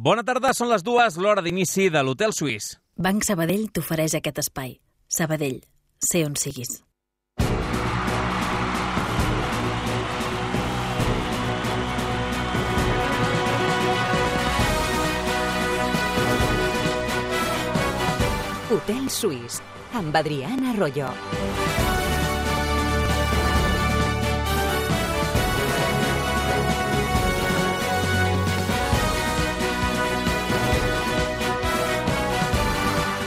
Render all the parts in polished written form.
Bona tarda, són les 2, l'hora d'inici de l'Hotel Suís. Banc Sabadell t'ofereix aquest espai. Sabadell, sé on siguis. Hotel Suís, amb Adriana Arroyo.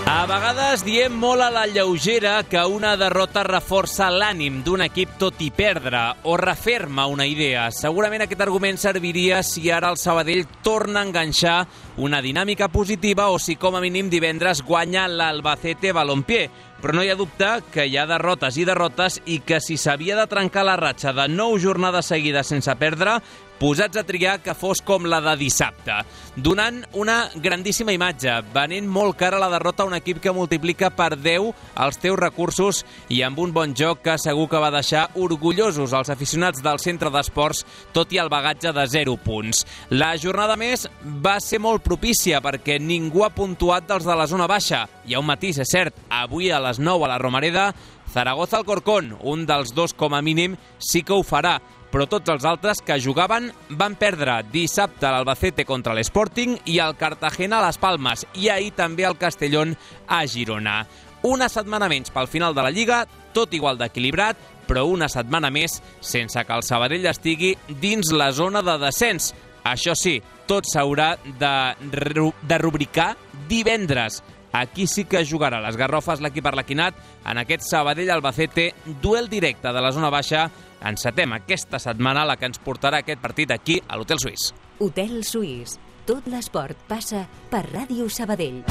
A vegades diem molt a la lleugera que una derrota reforça l'ànim d'un equip tot i perdre o referma una idea. Segurament aquest argument serviria si ara el Sabadell torna a enganxar una dinàmica positiva o si com a mínim divendres guanya l'Albacete Balompié. Però no hi ha dubte que hi ha derrotes i derrotes i que si s'havia de trencar la ratxa de 9 jornades seguides sense perdre, posats a triar que fos com la de dissabte, donant una grandíssima imatge, venent molt cara la derrota a un equip que multiplica per 10 els teus recursos i amb un bon joc que segur que va deixar orgullosos els aficionats del centre d'esports, tot i el bagatge de 0 punts. La jornada més va ser molt propícia perquè ningú ha puntuat dels de la zona baixa. Hi ha un matís, és cert, avui a les 9 a la Romareda, Zaragoza-Alcorcón, un dels dos com a mínim sí que ho farà, però tots els altres que jugaven van perdre dissabte l'Albacete contra l'Sporting i el Cartagena a les Palmes i ahir també el Castellón a Girona. Una setmana menys pel final de la Lliga, tot igual d'equilibrat, però una setmana més sense que el Sabadell estigui dins la zona de descens. Això sí, tot s'haurà de rubricar divendres. Aquí sí que jugarà les garrofes l'equip arlequinat en aquest Sabadell-Albacete, duel directe de la zona baixa. Encetem aquesta setmana la que ens portarà aquest partit aquí a l'Hotel Suís. Hotel Suís. Tot l'esport passa per Ràdio Sabadell.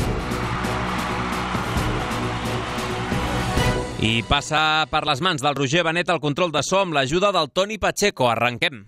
I passa per les mans del Roger Benet el control de so amb l'ajuda del Toni Pacheco. Arrenquem.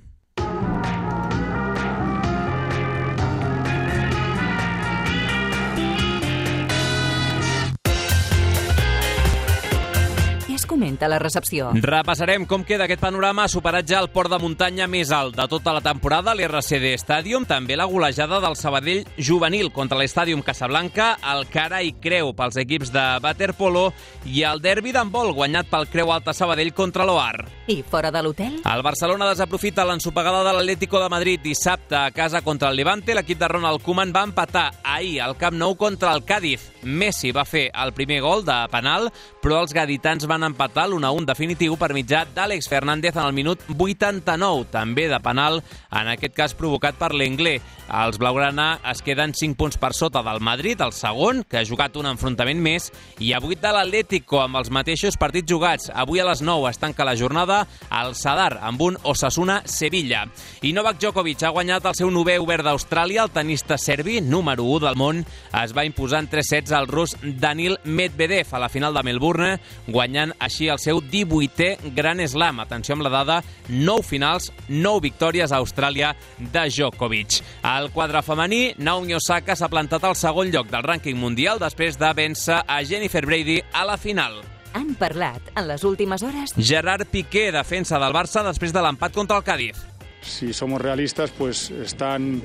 Comenta la recepció. Repassarem com queda aquest panorama. Ha superat ja el port de muntanya més alt de tota la temporada, l'RCD Stadium, també la golejada del Sabadell juvenil contra l'Estàdium Casablanca, el cara i creu pels equips de waterpolo i el derbi d'handbol guanyat pel Creu Alta Sabadell contra l'Oar. I fora de l'hotel? El Barcelona desaprofita l'ensopegada de l'Atlético de Madrid dissabte a casa contra el Levante. L'equip de Ronald Koeman va empatar ahir al Camp Nou contra el Cádiz. Messi va fer el primer gol de penal, però els gaditans van empatar l'1-1 definitiu per mitjà d'Àlex Fernández en el minut 89, també de penal, en aquest cas provocat per l'Englé. Els blaugrana es queden 5 punts per sota del Madrid, el segon, que ha jugat un enfrontament més, i a 8 de l'Atlético, amb els mateixos partits jugats. Avui a les 9 es tanca la jornada al Sadar, amb un Osasuna-Sevilla. I Novak Djokovic ha guanyat el seu 9è obert d'Austràlia. El tenista serbi, número 1 del món, es va imposar en 3 sets al rus Daniil Medvedev a la final de Melbourne, guanyant així el seu 18è Grand Slam. Atenció amb la dada, 9 finals, 9 victòries a Austràlia de Djokovic. Al quadre femení, Naomi Osaka s'ha plantat al segon lloc del rànquing mundial després de vèncer a Jennifer Brady a la final. Han parlat en les últimes hores Gerard Piqué, defensa del Barça després de l'empat contra el Cádiz. Si somos realistas, pues están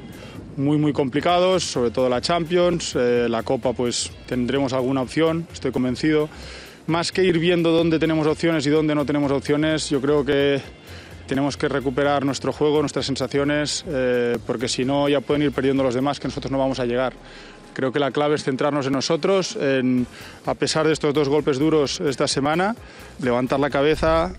muy complicados, sobre todo la Champions, la Copa pues tendremos alguna opción, estoy convencido. Más que ir viendo dónde tenemos opciones y dónde no tenemos opciones, yo creo que tenemos que recuperar nuestro juego, nuestras sensaciones, porque si no ya pueden ir perdiendo los demás, que nosotros no vamos a llegar. Creo que la clave es centrarnos en nosotros, a pesar de estos 2 golpes duros esta semana, levantar la cabeza.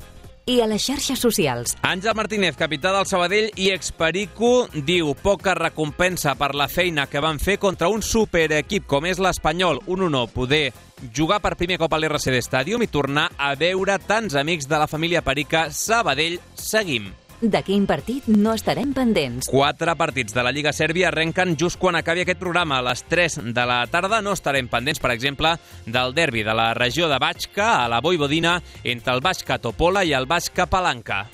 I a les xarxes socials. Àngel Martínez, capità del Sabadell i experico, diu poca recompensa per la feina que van fer contra un superequip com és l'Espanyol. Un honor poder jugar per primer cop a l'RCD Stadium i tornar a veure tants amics de la família Perica. Sabadell, seguim. De quin partit no estarem pendents? 4 partits de la Lliga Sèrbia arrenquen just quan acabi aquest programa. A les 3 de la tarda no estarem pendents, per exemple, del derbi de la regió de Bačka a la Vojvodina entre el Bačka Topola i el Bačka Palanca.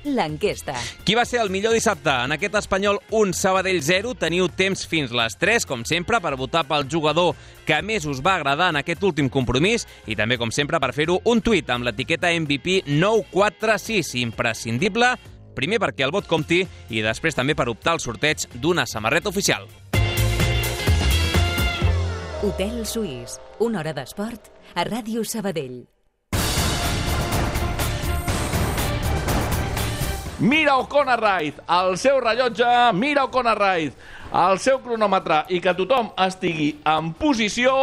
L'enquesta. Qui va ser el millor dissabte? En aquest Espanyol 1, Sabadell 0. Teniu temps fins les 3, com sempre, per votar pel jugador que més us va agradar en aquest últim compromís i també, com sempre, per fer-ho un tuit amb l'etiqueta MVP 946. Imprescindible, primer perquè el vot compti i després també per optar al sorteig d'una samarreta oficial. Hotel Suís, una hora d'esport a Ràdio Sabadell. Mira O'Connor Wright, el seu rellotge, mira O'Connor Wright, el seu cronòmetre i que tothom estigui en posició,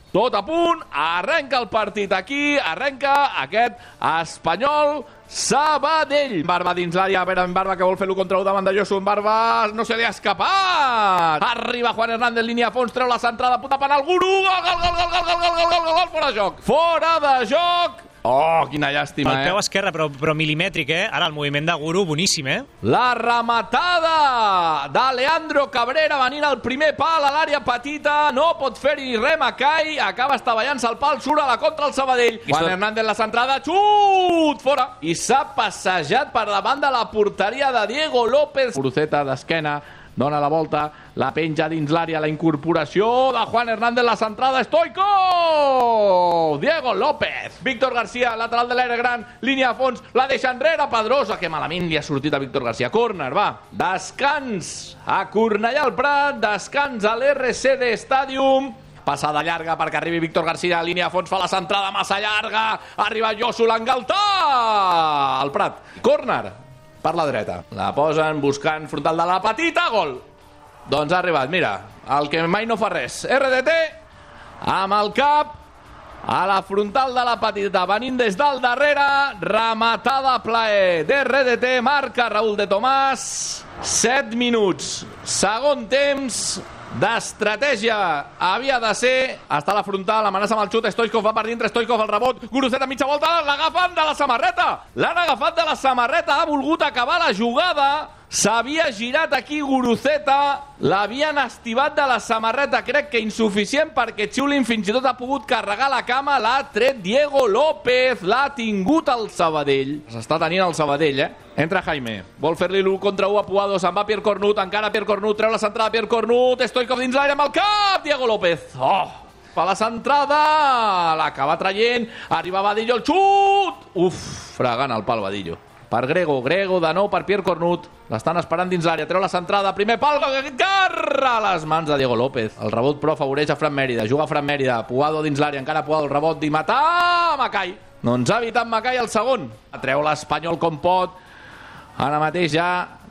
tot a punt, arrenca el partit aquí, arrenca aquest Espanyol Sabadell. Barba dins l'àrea, a veure en Barba que vol fer-lo contra davant de Josu, en Barba no se li ha escapat. Arriba Juan Hernández, línia a fons, treu la centrada, puta penal, Guru, gol, fora de joc. Fora de joc. Oh, quina llàstima, El peu esquerre, però milimètric, Ara el moviment de Guru, boníssim, La rematada de Leandro Cabrera venint al primer pal a l'àrea petita, no pot fer-hi res Macai, acaba estavellant-se el pal, surt a la contra el Sabadell. Juan Hernández la centrada, xut, fora. I s'ha passejat per davant de la porteria de Diego López. Guruceta d'esquena, dona la volta, la penja dins l'àrea, la incorporació de Juan Hernández, la centrada, Stoico! Diego López! Víctor García, lateral de l'aire gran, línia a fons, la deixa enrere, Pedrosa, que malament li ha sortit a Víctor García. Córner, va. Descans a Cornellà al Prat, descans a l'RCD Stadium. Passada llarga perquè arribi Víctor García, línia a fons, fa la centrada massa llarga, arriba Josu, l'engaltà! Al Prat. Córner per la dreta. La posen buscant frontal de la petita, gol. Doncs ha arribat, mira, el que mai no fa res. RDT, amb el cap, a la frontal de la petita, venint des del darrere, rematada a plaer d'RDT, marca Raúl de Tomàs, 7 minuts, segon temps d'estratègia havia de ser, està a la frontal, amenaça amb el xut, Stoichkov va per dintre, Stoichkov el rebot, Guruceta mitja volta, l'agafen de la samarreta, l'han agafat de la samarreta, ha volgut acabar la jugada, s'havia girat aquí Guruceta, l'havien estivat de la samarreta, crec que insuficient perquè Xiulin fins i tot ha pogut carregar la cama, l'ha tret Diego López, l'ha tingut el Sabadell, s'està tenint el Sabadell, Entra Jaime, vol fer-li l'1 contra 1 a Puado, se'n va Pierre Cornut, encara Pierre Cornut, treu la centrada Pierre Cornut, Stoichkov dins l'aire amb el cap, Diego López, fa la centrada, l'acaba traient, arriba Vadillo, el xut, fregant el pal Vadillo. Per Grego de nou per Pierre Cornut, l'estan esperant dins l'àrea, treu la centrada, primer pal, garra a les mans de Diego López, el rebot però afavoreix a Fran Mèrida, juga Fran Mèrida, Puado dins l'àrea, encara Puado, el rebot d'I matar Macai, no ens ha evitat Macai el segon, treu l'Espanyol com pot, ara mateix ja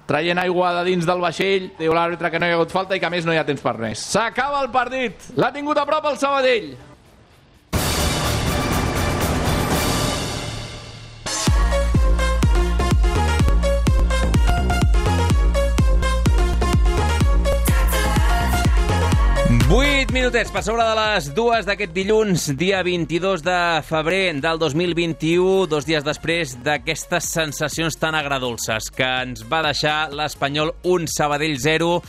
traient aigua de dins del vaixell, diu l'àrbitre que no hi ha hagut falta i que a més no hi ha temps per res. S'acaba el partit, l'ha tingut a prop el Sabadell. Vuit minutets per sobre de les 2 d'aquest dilluns, dia 22 de febrer del 2021, 2 dies després d'aquestes sensacions tan agradolces que ens va deixar l'Espanyol 1, Sabadell 0.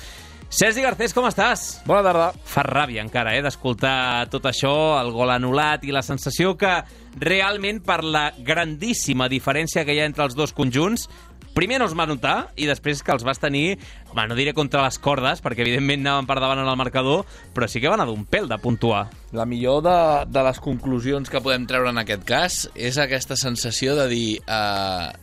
Sergi Garcés, com estàs? Bona tarda. Fa ràbia encara, d'escoltar tot això, el gol anul·lat i la sensació que realment per la grandíssima diferència que hi ha entre els dos conjunts, primer no es va notar i després que els vas tenir, no diré contra les cordes, perquè evidentment anaven per davant en el marcador, però sí que van anar d'un pèl de puntuar. La millor de les conclusions que podem treure en aquest cas és aquesta sensació de dir,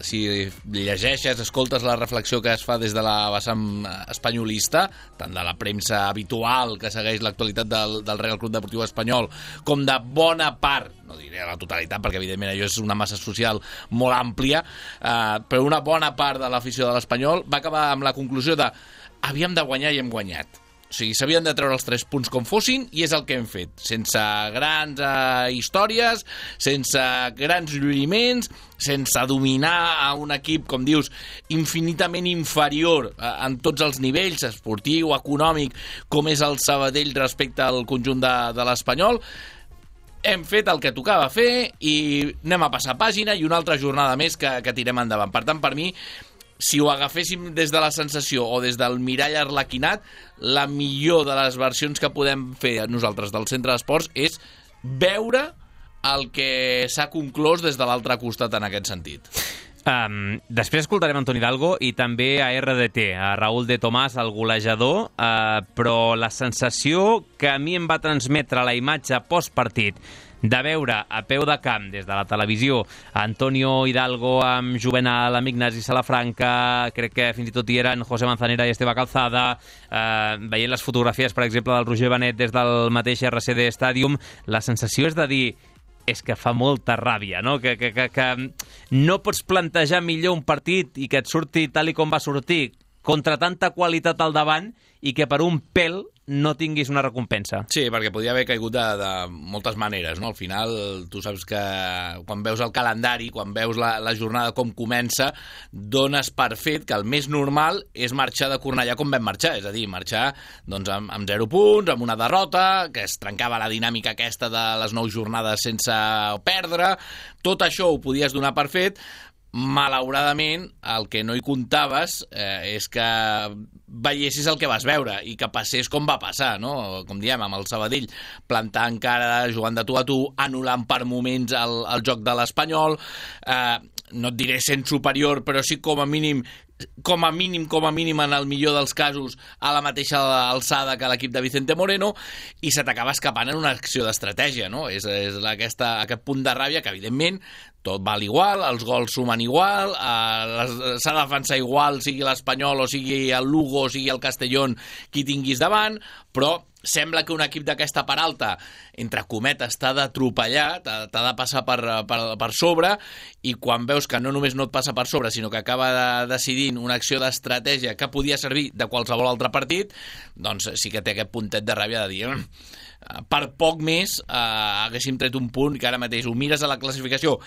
si llegeixes, escoltes la reflexió que es fa des de la vessant espanyolista, tant de la premsa habitual que segueix l'actualitat del Real Club Deportiu Espanyol, com de bona part, no diré la totalitat, perquè evidentment allò és una massa social molt àmplia, però una bona part de l'afició de l'Espanyol va acabar amb la conclusió de havíem de guanyar i hem guanyat. O sigui, s'havien de treure els 3 punts com fossin i és el que hem fet, sense grans històries, sense grans lluïments, sense dominar a un equip, com dius, infinitament inferior en tots els nivells, esportiu, econòmic, com és el Sabadell respecte al conjunt de l'Espanyol. Hem fet el que tocava fer i anem a passar pàgina i una altra jornada més que tirem endavant. Per tant, per mi, si ho agaféssim des de la sensació o des del mirall arlequinat, la millor de les versions que podem fer nosaltres del centre d'esports és veure el que s'ha conclòs des de l'altre costat en aquest sentit. Després escoltarem Antoni Hidalgo i també a RDT, a Raúl de Tomàs, el golejador, però la sensació que a mi em va transmetre la imatge postpartit de veure a peu de camp des de la televisió Antonio Hidalgo amb Juvenal, amb Ignasi Salafranca, crec que fins i tot hi eren José Manzanera i Esteve Calzada, veient les fotografies, per exemple, del Roger Benet des del mateix RCD Stadium, la sensació és de dir és que fa molta ràbia, no? Que no pots plantejar millor un partit i que et surti tal i com va sortir, contra tanta qualitat al davant, i que per un pèl no tinguis una recompensa. Sí, perquè podia haver caigut de moltes maneres, no? Al final, tu saps que quan veus el calendari, quan veus la jornada com comença, dones per fet que el més normal és marxar de Cornellà com vam marxar, és a dir, marxar doncs, amb 0 punts, amb una derrota, que es trencava la dinàmica aquesta de les 9 jornades sense perdre. Tot això ho podies donar per fet. Malauradament, el que no hi comptaves és que veiessis el que vas veure i que passés com va passar, no? Com diem, amb el Sabadell plantant cara, jugant de tu a tu, anul·lant per moments el joc de l'Espanyol, no et diré sent superior, però sí com a mínim en el millor dels casos a la mateixa alçada que l'equip de Vicente Moreno, i se t'acaba escapant en una acció d'estratègia, no? És aquest punt de ràbia que, evidentment, tot val igual, els gols sumen igual, s'ha de defensar igual, sigui l'Espanyol o sigui el Lugo o sigui el Castellón, qui tinguis davant, però sembla que un equip d'aquesta part alta, entre cometes, t'ha d'atropellar, t'ha de passar per sobre, i quan veus que no només no et passa per sobre, sinó que acaba decidint una acció d'estratègia que podia servir de qualsevol altre partit, doncs sí que té aquest puntet de ràbia de dir per poc més haguéssim tret un punt que ara mateix ho mires a la classificació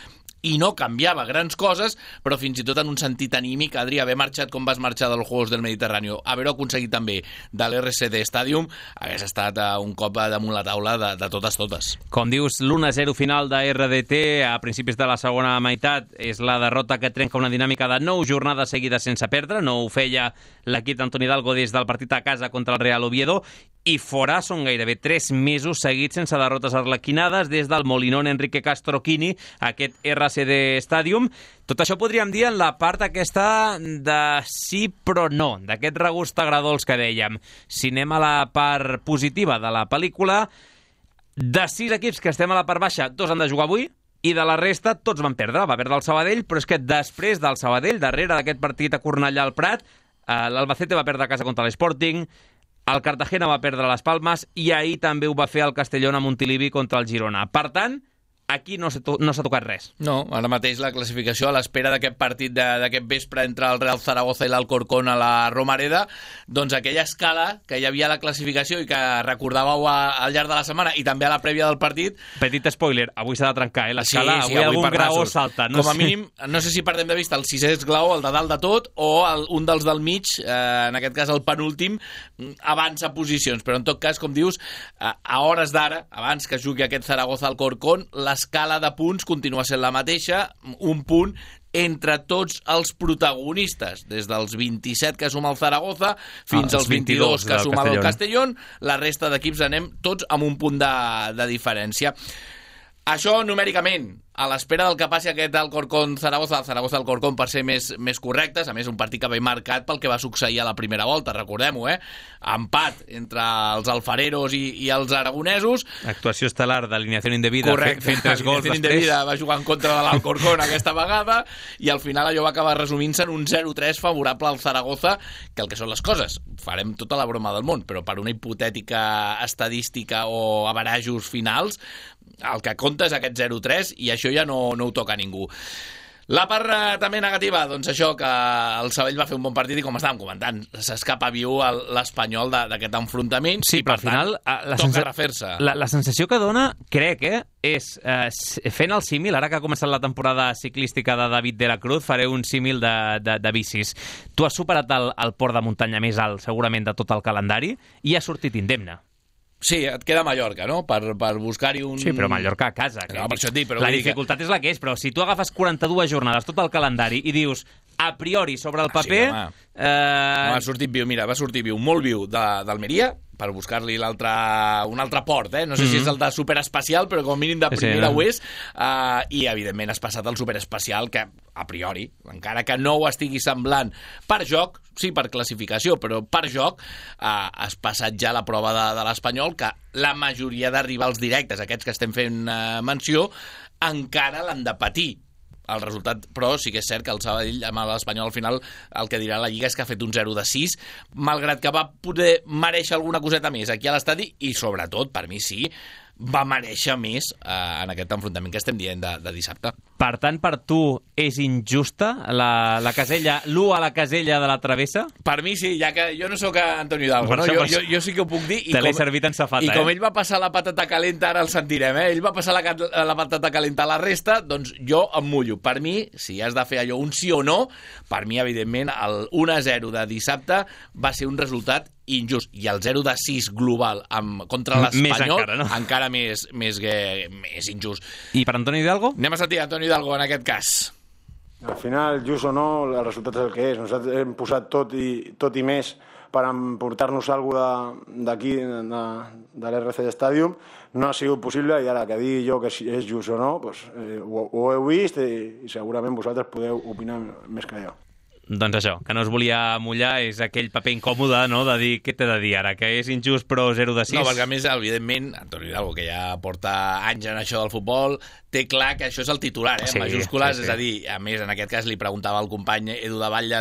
i no canviava grans coses, però fins i tot en un sentit anímic, Adri, haver marxat com vas marxar dels Juegos del Mediterrani, haver-ho aconseguit també de l'RCD Stadium, hagués estat un cop damunt la taula de totes. Com dius, l'1-0 final de RDT a principis de la segona meitat és la derrota que trenca una dinàmica de 9 jornades seguides sense perdre. No ho feia l'equip d'Antoni Hidalgo des del partit a casa contra el Real Oviedo, i fora són gairebé 3 mesos seguits sense derrotes arlequinades des del Molinón Enrique Castro Quini, aquest RCD Stadium. Tot això podríem dir en la part aquesta de sí però no, d'aquest regust agradolç que dèiem. Si anem a la part positiva de la pel·lícula, de 6 equips que estem a la part baixa, 2 han de jugar avui, i de la resta tots van perdre. Va perdre el Sabadell, però és que després del Sabadell, darrere d'aquest partit a Cornellà al Prat, l'Albacete va perdre a casa contra l'Sporting, el Cartagena va perdre les Palmes i ahir també ho va fer el Castellón a Montilivi contra el Girona. Per tant, aquí no s'ha tocat res. No, ara mateix la classificació a l'espera d'aquest partit d'aquest vespre entre el Real Zaragoza i l'Alcorcón a la Romareda, doncs aquella escala que hi havia a la classificació i que recordàveu al llarg de la setmana i també a la prèvia del partit... Petit spoiler, avui s'ha de trencar, l'escala, avui algun graó salta. Com a mínim, no sé si perdem de vista el 6è esglaó, el de dalt de tot, o un dels del mig, en aquest cas el penúltim, avança posicions, però en tot cas, com dius, a hores d'ara, abans que jugui aquest Zaragoza-Alcorcón, l'escala de punts continua sent la mateixa, un punt entre tots els protagonistes, des dels 27 que suma el Zaragoza fins als 22 que suma el Castellón, la resta d'equips anem tots amb un punt de diferència. Això numèricament, a l'espera del que passi aquest Alcorcón-Zaragoza, el Zaragoza-Alcorcón per ser més correctes, a més un partit que ve marcat pel que va succeir a la primera volta, recordem-ho, empat entre els alfareros i els aragonesos. Actuació estel·lar d'alineació indebida, fent 3 gols després. Indebida va jugar en contra de l'Alcorcón aquesta vegada, i al final allò va acabar resumint-se en un 0-3 favorable al Zaragoza, que el que són les coses, farem tota la broma del món, però per una hipotètica estadística o averajos finals, el que compta és aquest 0-3 i això ja no ho toca a ningú. La part també negativa, doncs això, que el Sabadell va fer un bon partit i com estàvem comentant, s'escapa viu l'Espanyol d'aquest enfrontament. Sí, però al final toca refer-se. La sensació que dona, crec, és fent el símil, ara que ha començat la temporada ciclística de David de la Cruz, faré un símil de bicis. Tu has superat el port de muntanya més alt, segurament, de tot el calendari, i has sortit indemne. Sí, et queda Mallorca, no? Per buscar-hi un... Sí, però Mallorca a casa. No, per això et dic, però la dificultat és la que és, però si tu agafes 42 jornades, tot el calendari, i dius, a priori, sobre el paper... Va sortir viu, molt viu d'Almeria, per buscar-li un altre port, no sé si és el de superespecial, però com a mínim de primera ho és, i evidentment has passat el superespecial, que a priori, encara que no ho estigui semblant per joc, sí per classificació, però per joc, has passat ja la prova de l'Espanyol, que la majoria de rivals directes, aquests que estem fent menció, encara l'han de patir. El resultat, però sí que és cert que el Sabadell amb l'Espanyol al final el que dirà la Lliga és que ha fet un 0-6, malgrat que va poder mereixer alguna coseta més aquí a l'estadi i sobretot, per mi sí, va mereixer més en aquest enfrontament que estem dient de dissabte. Per tant, per tu és injusta la casella, l'1 a la casella de la travessa? Per mi sí, ja que jo no sóc Antonio Hidalgo, no? Jo sí que ho puc dir. Te l'he servit en safata, I com ell va passar la patata calenta, ara el sentirem, ell va passar la patata calenta a la resta, doncs jo em mullo. Per mi, si has de fer allò un sí o no, per mi, evidentment, el 1-0 de dissabte va ser un resultat injust. I el 0-6 global contra l'Espanyol encara més injust. I per Antonio Hidalgo? Anem a sentir Antonio Hidalgo en aquest cas. Al final, just o no, el resultat és el que és. Nosaltres hem posat tot i més per emportar-nos alguna cosa d'aquí, de l'RC Stadium. No ha sigut possible i ara que digui jo que és just o no, doncs, ho heu vist i segurament vosaltres podeu opinar més que jo. Doncs això, que no es volia mullar és aquell paper incòmode, no?, de dir, què t'he de dir ara, que és injust però 0-6? No, perquè a més, evidentment, Antonio Hidalgo, que ja porta anys en això del futbol, té clar que això és el titular, en majúscules, és a dir, a més, en aquest cas li preguntava al company Edu de Batlle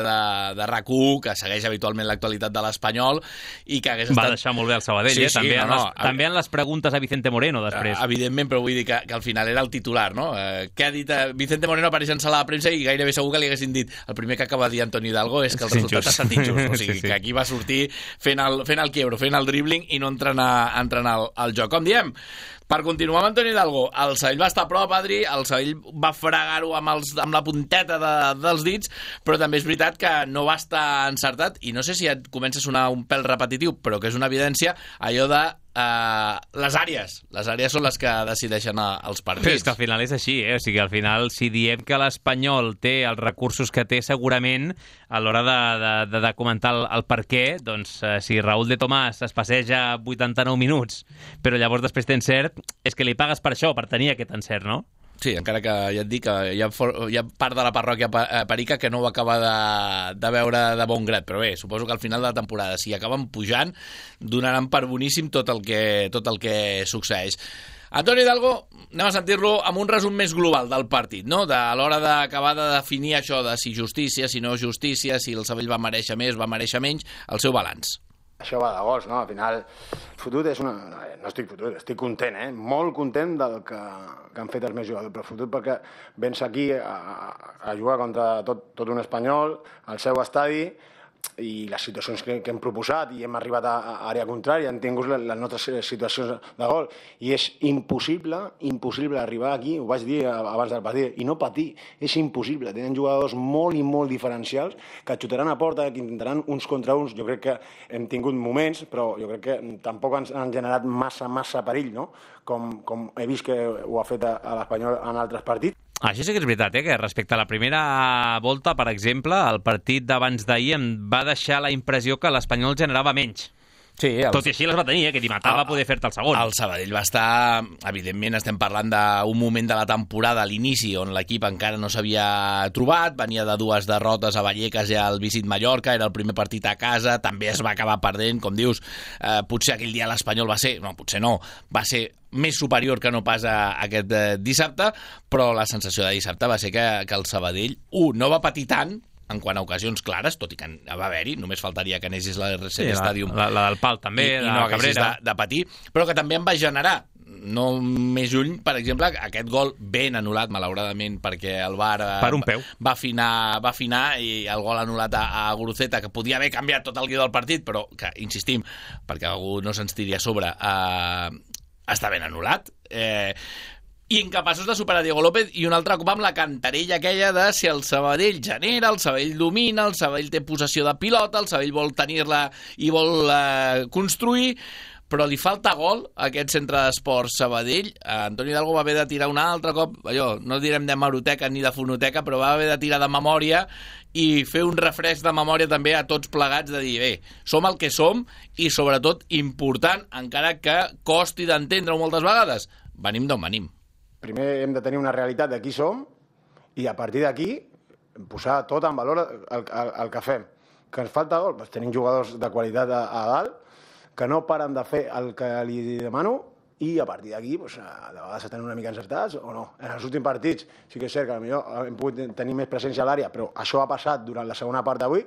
de RAC1, que segueix habitualment l'actualitat de l'Espanyol, i que hagués estat... Va deixar molt bé el Sabadell, també en les preguntes a Vicente Moreno, després. Evidentment, però vull dir que al final era el titular, no? Què ha dit Vicente Moreno apareix en sala de premsa i gairebé segur que li haguessin dit el primer que acaba de dir Antonio Hidalgo és que el resultat ha estat injust, o sigui, que aquí va sortir fent el quiebro, fent el dribbling i no entrant al joc. Com diem, per continuar amb Antonio Hidalgo, el Sabadell va estar a prop, Adri, el Sabadell va fregar-ho amb la punteta dels dits, però també és veritat que no va estar encertat, i no sé si et comença a sonar un pèl repetitiu, però que és una evidència, allò de les àrees són les que decideixen els partits. Però és que al final és així, o sigui, al final si diem que l'Espanyol té els recursos que té, segurament a l'hora de comentar el per què, doncs si Raúl de Tomàs es passeja 89 minuts, però llavors després té encert, és que li pagues per això, per tenir aquest encert, no? Sí, encara que ja et dic que hi ha part de la parròquia Perica que no ho acaba de veure de bon grat, però bé, suposo que al final de la temporada, si acaben pujant, donaran per boníssim tot el que succeeix. Antonio Hidalgo, anem a sentir-lo amb un resum més global del partit, no? A l'hora d'acabar de definir això de si justícia, si no justícia, si el Sabadell va mereixer més, va mereixer menys, el seu balanç. Això va de gols, no? Al final, fotut és una... No estic fotut, estic content, molt content del que han fet els meus jugadors, però fotut perquè vens aquí a jugar contra tot un espanyol, al seu estadi, i les situacions que hem proposat i hem arribat a àrea contrària, hem tingut les nostres situacions de gol, i és impossible arribar aquí, ho vaig dir abans del partit, i no patir, és impossible. Tenen jugadors molt i molt diferencials que xutaran a porta, que intentaran uns contra uns. Jo crec que hem tingut moments, però jo crec que tampoc ens han generat massa perill, no? Com he vist que ho ha fet a l'Espanyol en altres partits. Això sí que és veritat, que respecte a la primera volta, per exemple, el partit d'abans d'ahir em va deixar la impressió que l'Espanyol generava menys. Sí, tot i així les va tenir, que t'hi matava poder fer-te el segon. El Sabadell va estar, evidentment estem parlant d'un moment de la temporada, a l'inici, on l'equip encara no s'havia trobat, venia de 2 derrotes a Vallecas i al Visit Mallorca, era el primer partit a casa, també es va acabar perdent, com dius, potser aquell dia l'Espanyol va ser més superior que no pas aquest dissabte, però la sensació de dissabte va ser que el Sabadell, no va patir tant, en quant a ocasions clares, tot i que va haver-hi, només faltaria que anessis la RC Stadium. La del pal també, i no haguessis de patir, però que també en va generar. No més lluny, per exemple, aquest gol ben anul·lat, malauradament, perquè el VAR per un peu va afinar i el gol anul·lat a Guruceta, que podia haver canviat tot el guió del partit, però que, insistim, perquè algú no se'ns tiri a sobre, està ben anul·lat. I incapaços de superar Diego López, i un altre cop amb la cantarella aquella de si el Sabadell genera, el Sabadell domina, el Sabadell té possessió de pilota, el Sabadell vol tenir-la i vol construir, però li falta gol a aquest centre d'esports Sabadell. Antoni Hidalgo va haver de tirar un altre cop, allò, no direm de hemeroteca ni de fonoteca, però va haver de tirar de memòria i fer un refresc de memòria també a tots plegats, de dir, bé, som el que som i sobretot important, encara que costi d'entendre-ho moltes vegades, venim d'on venim. Primer hem de tenir una realitat de qui som i a partir d'aquí posar tot en valor el que fem. Que ens falta gol? Doncs tenim jugadors de qualitat a dalt que no paren de fer el que li demano i a partir d'aquí de vegades estan una mica encertats o no. En els últims partits sí que és cert que potser hem pogut tenir més presència a l'àrea, però això ha passat durant la segona part d'avui,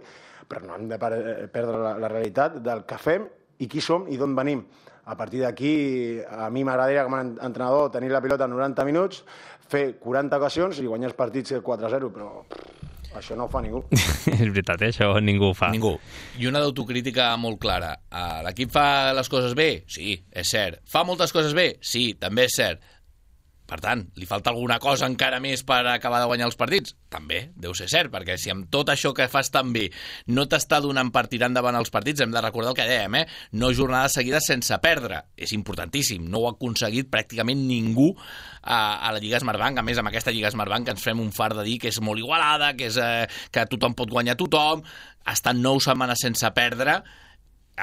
però no hem de perdre la realitat del que fem i qui som i d'on venim. A partir d'aquí, a mi m'agradaria com a entrenador tenir la pilota en 90 minuts, fer 40 ocasions i guanyar els partits 4-0, però això no ho fa ningú. És veritat, això ningú ho fa. Ningú. I una d'autocrítica molt clara. L'equip fa les coses bé? Sí, és cert. Fa moltes coses bé? Sí, també és cert. Per tant, li falta alguna cosa encara més per acabar de guanyar els partits? També, deu ser cert, perquè si amb tot això que fas tan bé no t'està donant per tirar endavant els partits, hem de recordar el que dèiem, no jornades seguides sense perdre. És importantíssim, no ho ha aconseguit pràcticament ningú a la Lliga Smartbank. A més, amb aquesta Lliga Smartbank que ens fem un fart de dir que és molt igualada, que tothom pot guanyar tothom, estan 9 setmanes sense perdre,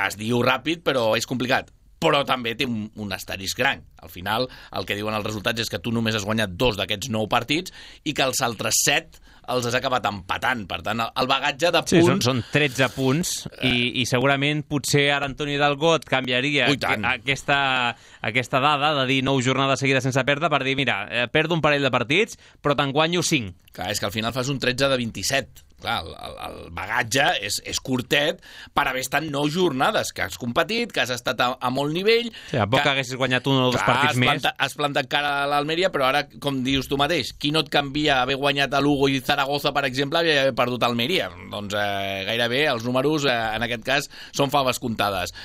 es diu ràpid, però és complicat. Però també té un asterisc gran. Al final, el que diuen els resultats és que tu només has guanyat 2 d'aquests 9 partits i que els altres 7 els has acabat empatant. Per tant, el bagatge de punts... Sí, són 13 punts i segurament potser ara Antoni Hidalgo et canviaria aquesta dada de dir 9 jornades seguides sense perdre per dir, mira, perdo un parell de partits, però te'n guanyo 5. Clar, és que al final fas un 13 de 27. Clar, el bagatge és curtet per haver estat 9 jornades, que has competit, que has estat a molt nivell... Sí, a poc que haguessis guanyat un o dos partits més. Has plantat cara a l'Almeria, però ara, com dius tu mateix, qui no et canvia haver guanyat a Lugo i Zaragoza, per exemple, i haver perdut a Almeria? Doncs gairebé els números, en aquest cas, són faves comptades.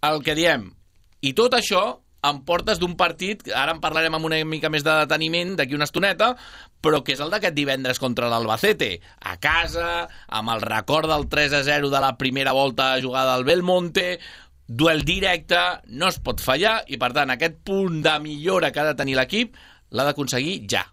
El que diem, i tot això em portes d'un partit, ara en parlarem amb una mica més de deteniment d'aquí una estoneta, però que és el d'aquest divendres contra l'Albacete, a casa, amb el record del 3-0 de la primera volta jugada al Belmonte, duel directe, no es pot fallar, i per tant aquest punt de millora que ha de tenir l'equip l'ha d'aconseguir ja.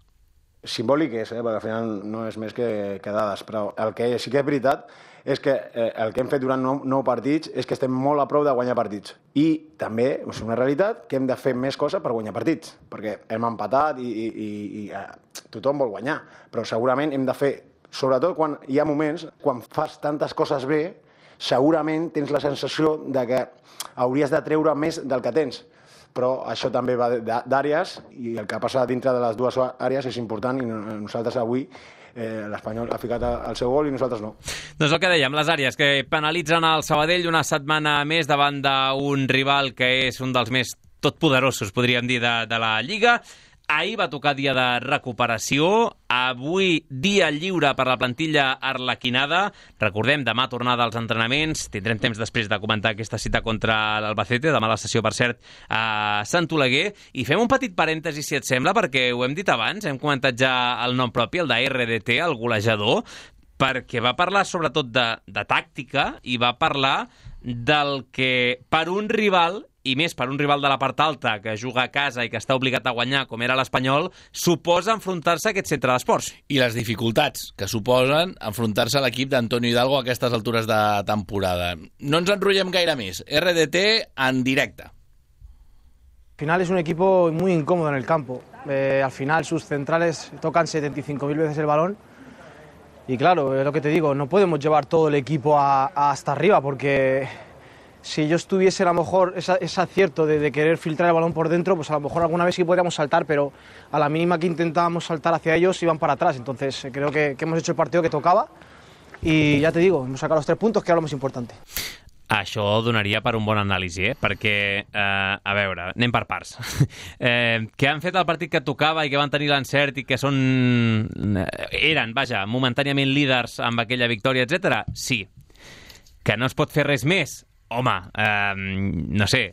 Simbòlic és, perquè al final no és més que dades, però el que sí que és veritat és que el que hem fet durant 9 partits és que estem molt a prop de guanyar partits. I també és una realitat que hem de fer més coses per guanyar partits, perquè hem empatat i tothom vol guanyar, però segurament hem de fer, sobretot quan hi ha moments, quan fas tantes coses bé, segurament tens la sensació de que hauries de treure més del que tens. Però això també va d'àrees i el que passa dintre de les dues àrees és important i nosaltres avui l'Espanyol ha ficat el seu gol i nosaltres no. Doncs el que dèiem, les àrees que penalitzen el Sabadell una setmana més davant d'un rival que és un dels més totpoderosos, podríem dir, de la Lliga. Ahir va tocar dia de recuperació, avui dia lliure per la plantilla arlequinada. Recordem, demà tornada als entrenaments, tindrem temps després de comentar aquesta cita contra l'Albacete, demà la sessió, per cert, a Sant Oleguer. I fem un petit parèntesi, si et sembla, perquè ho hem dit abans, hem comentat ja el nom propi, el de RDT, el golejador, perquè va parlar sobretot de tàctica i va parlar del que per un rival, i més per un rival de la part alta que juga a casa i que està obligat a guanyar, com era l'Espanyol, suposa enfrontar-se a aquest centre d'esports. I les dificultats que suposen enfrontar-se a l'equip d'Antonio Hidalgo a aquestes altures de temporada. No ens enrotllem gaire més. RDT en directe. Al final es un equipo muy incómodo en el campo. Al final sus centrales tocan 75.000 veces el balón. Y claro, es lo que te digo, no podemos llevar todo el equipo hasta arriba, porque si yo estuviese a lo mejor ese acierto de querer filtrar el balón por dentro, pues a lo mejor alguna vez sí podríamos saltar, pero a la mínima que intentábamos saltar hacia ellos iban para atrás. Entonces creo que hemos hecho el partido que tocaba y ya te digo, hemos sacado los 3 puntos, que era lo más importante. Això donaria per un bon anàlisi, perquè, a veure, anem per parts. Que han fet el partit que tocava i que van tenir l'encert i que eren, momentàniament líders amb aquella victòria, etc. Sí. Que no es pot fer res més? Home, no sé,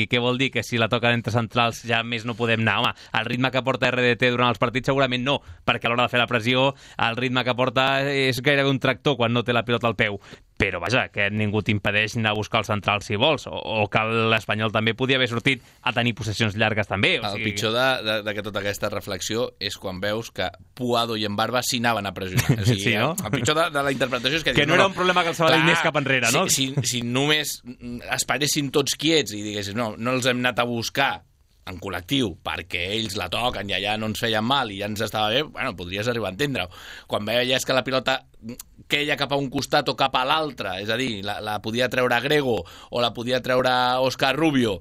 què vol dir? Que si la toquen entre centrals ja més no podem anar? Home, el ritme que porta RDT durant els partits segurament no, perquè a l'hora de fer la pressió el ritme que porta és gairebé un tractor quan no té la pilota al peu. però vaja, que ningú t'impedeix anar a buscar el central si vols, o que l'Espanyol també podia haver sortit a tenir possessions llargues també. El pitjor de tota aquesta reflexió és quan veus que Puado i Embarba s'hi anaven a pressionar. O sigui, sí, no? El pitjor de la interpretació és que... Que no era un problema que el Sabadell anés cap enrere, no? Si només esperessin tots quiets i diguessin no els hem anat a buscar en col·lectiu, perquè ells la toquen i allà no ens feien mal i ja ens estava bé, bueno, podries arribar a entendre-ho. Quan veies que la pilota queia cap a un costat o cap a l'altre, és a dir, la podia treure Grego o la podia treure Òscar Rubio,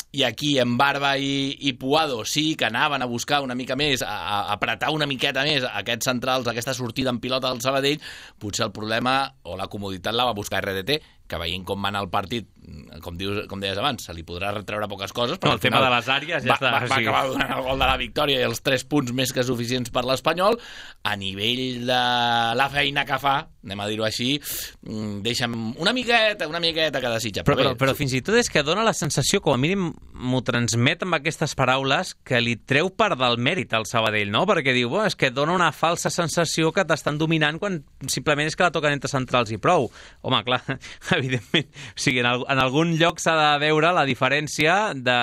i aquí en Barba i Puado sí que anaven a buscar una mica més, a apretar una miqueta més aquests centrals, aquesta sortida en pilota del Sabadell, potser el problema o la comoditat la va buscar RDT, que veient com va anar el partit, com deies abans, se li podrà retreure poques coses, però el tema de les àrees ja està. Va acabar donant el gol de la victòria i els 3 punts més que suficients per l'Espanyol. A nivell de la feina que fa, anem a dir-ho així, deixa'm una miqueta que desitja. Però fins i tot és que dona la sensació, com a mínim m'ho transmet amb aquestes paraules, que li treu part del mèrit al Sabadell, no? Perquè diu, és que dona una falsa sensació que t'estan dominant quan simplement és que la toquen entre centrals i prou. Home, clar, evidentment, o sigui, en algun lloc s'ha de veure la diferència de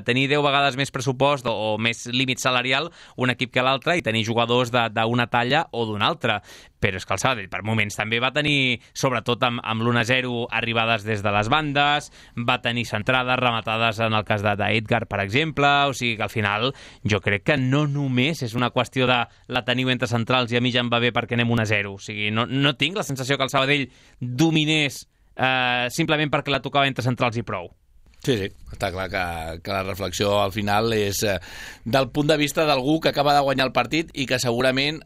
tenir 10 vegades més pressupost o més límit salarial un equip que l'altre i tenir jugadors d'una talla o d'una altra. Però és que el Sabadell per moments també va tenir, sobretot amb l'1-0, arribades des de les bandes, va tenir centrades, rematades en el cas d'Edgar, per exemple, o sigui que al final jo crec que no només és una qüestió de la teniu entre centrals i a mi ja em va bé perquè anem 1-0, o sigui, no tinc la sensació que el Sabadell dominés simplement perquè la tocava entre centrals i prou. Sí, està clar que la reflexió al final és del punt de vista d'algú que acaba de guanyar el partit i que segurament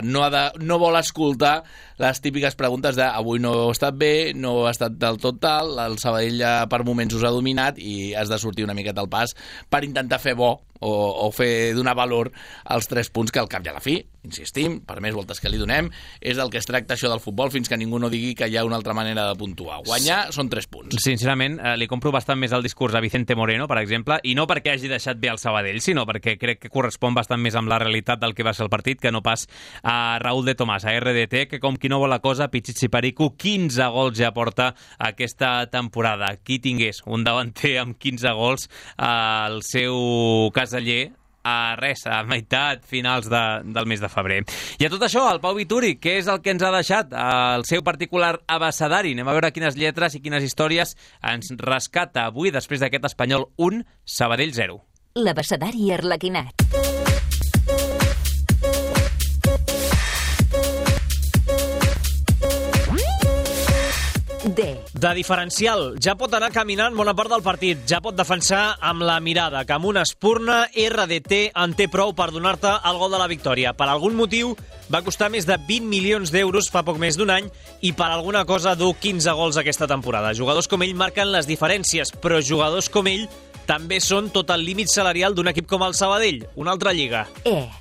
no vol escoltar les típiques preguntes de avui no he estat bé, no ha estat del tot tal, el Sabadell per moments us ha dominat i has de sortir una miqueta al pas per intentar fer bo o fer donar valor als 3 punts que al cap i a la fi, insistim, per més voltes que li donem, és del que es tracta això del futbol fins que ningú no digui que hi ha una altra manera de puntuar. Guanyar són 3 punts. Sincerament, li compro bastant més el discurs a Vicente Moreno, per exemple, i no perquè hagi deixat bé el Sabadell, sinó perquè crec que correspon bastant més amb la realitat del que va ser el partit que no pas a Raúl de Tomàs, a RDT, que com qui no vol la cosa, Pichichi Perico, 15 gols ja porta aquesta temporada. Qui tingués un davanter amb 15 gols al seu caseller a meitat, finals del mes de febrer. I a tot això, el Pau Vituri, què és el que ens ha deixat el seu particular abecedari? Anem a veure quines lletres i quines històries ens rescata avui després d'aquest Espanyol 1, Sabadell 0. L'abecedari arlequinat. De diferencial, ja pot anar caminant bona part del partit, ja pot defensar amb la mirada, que amb una espurna RDT en té prou per donar-te el gol de la victòria. Per algun motiu va costar més de 20 milions d'euros fa poc més d'un any i per alguna cosa du 15 gols aquesta temporada. Jugadors com ell marquen les diferències, però jugadors com ell també són tot el límit salarial d'un equip com el Sabadell, una altra lliga.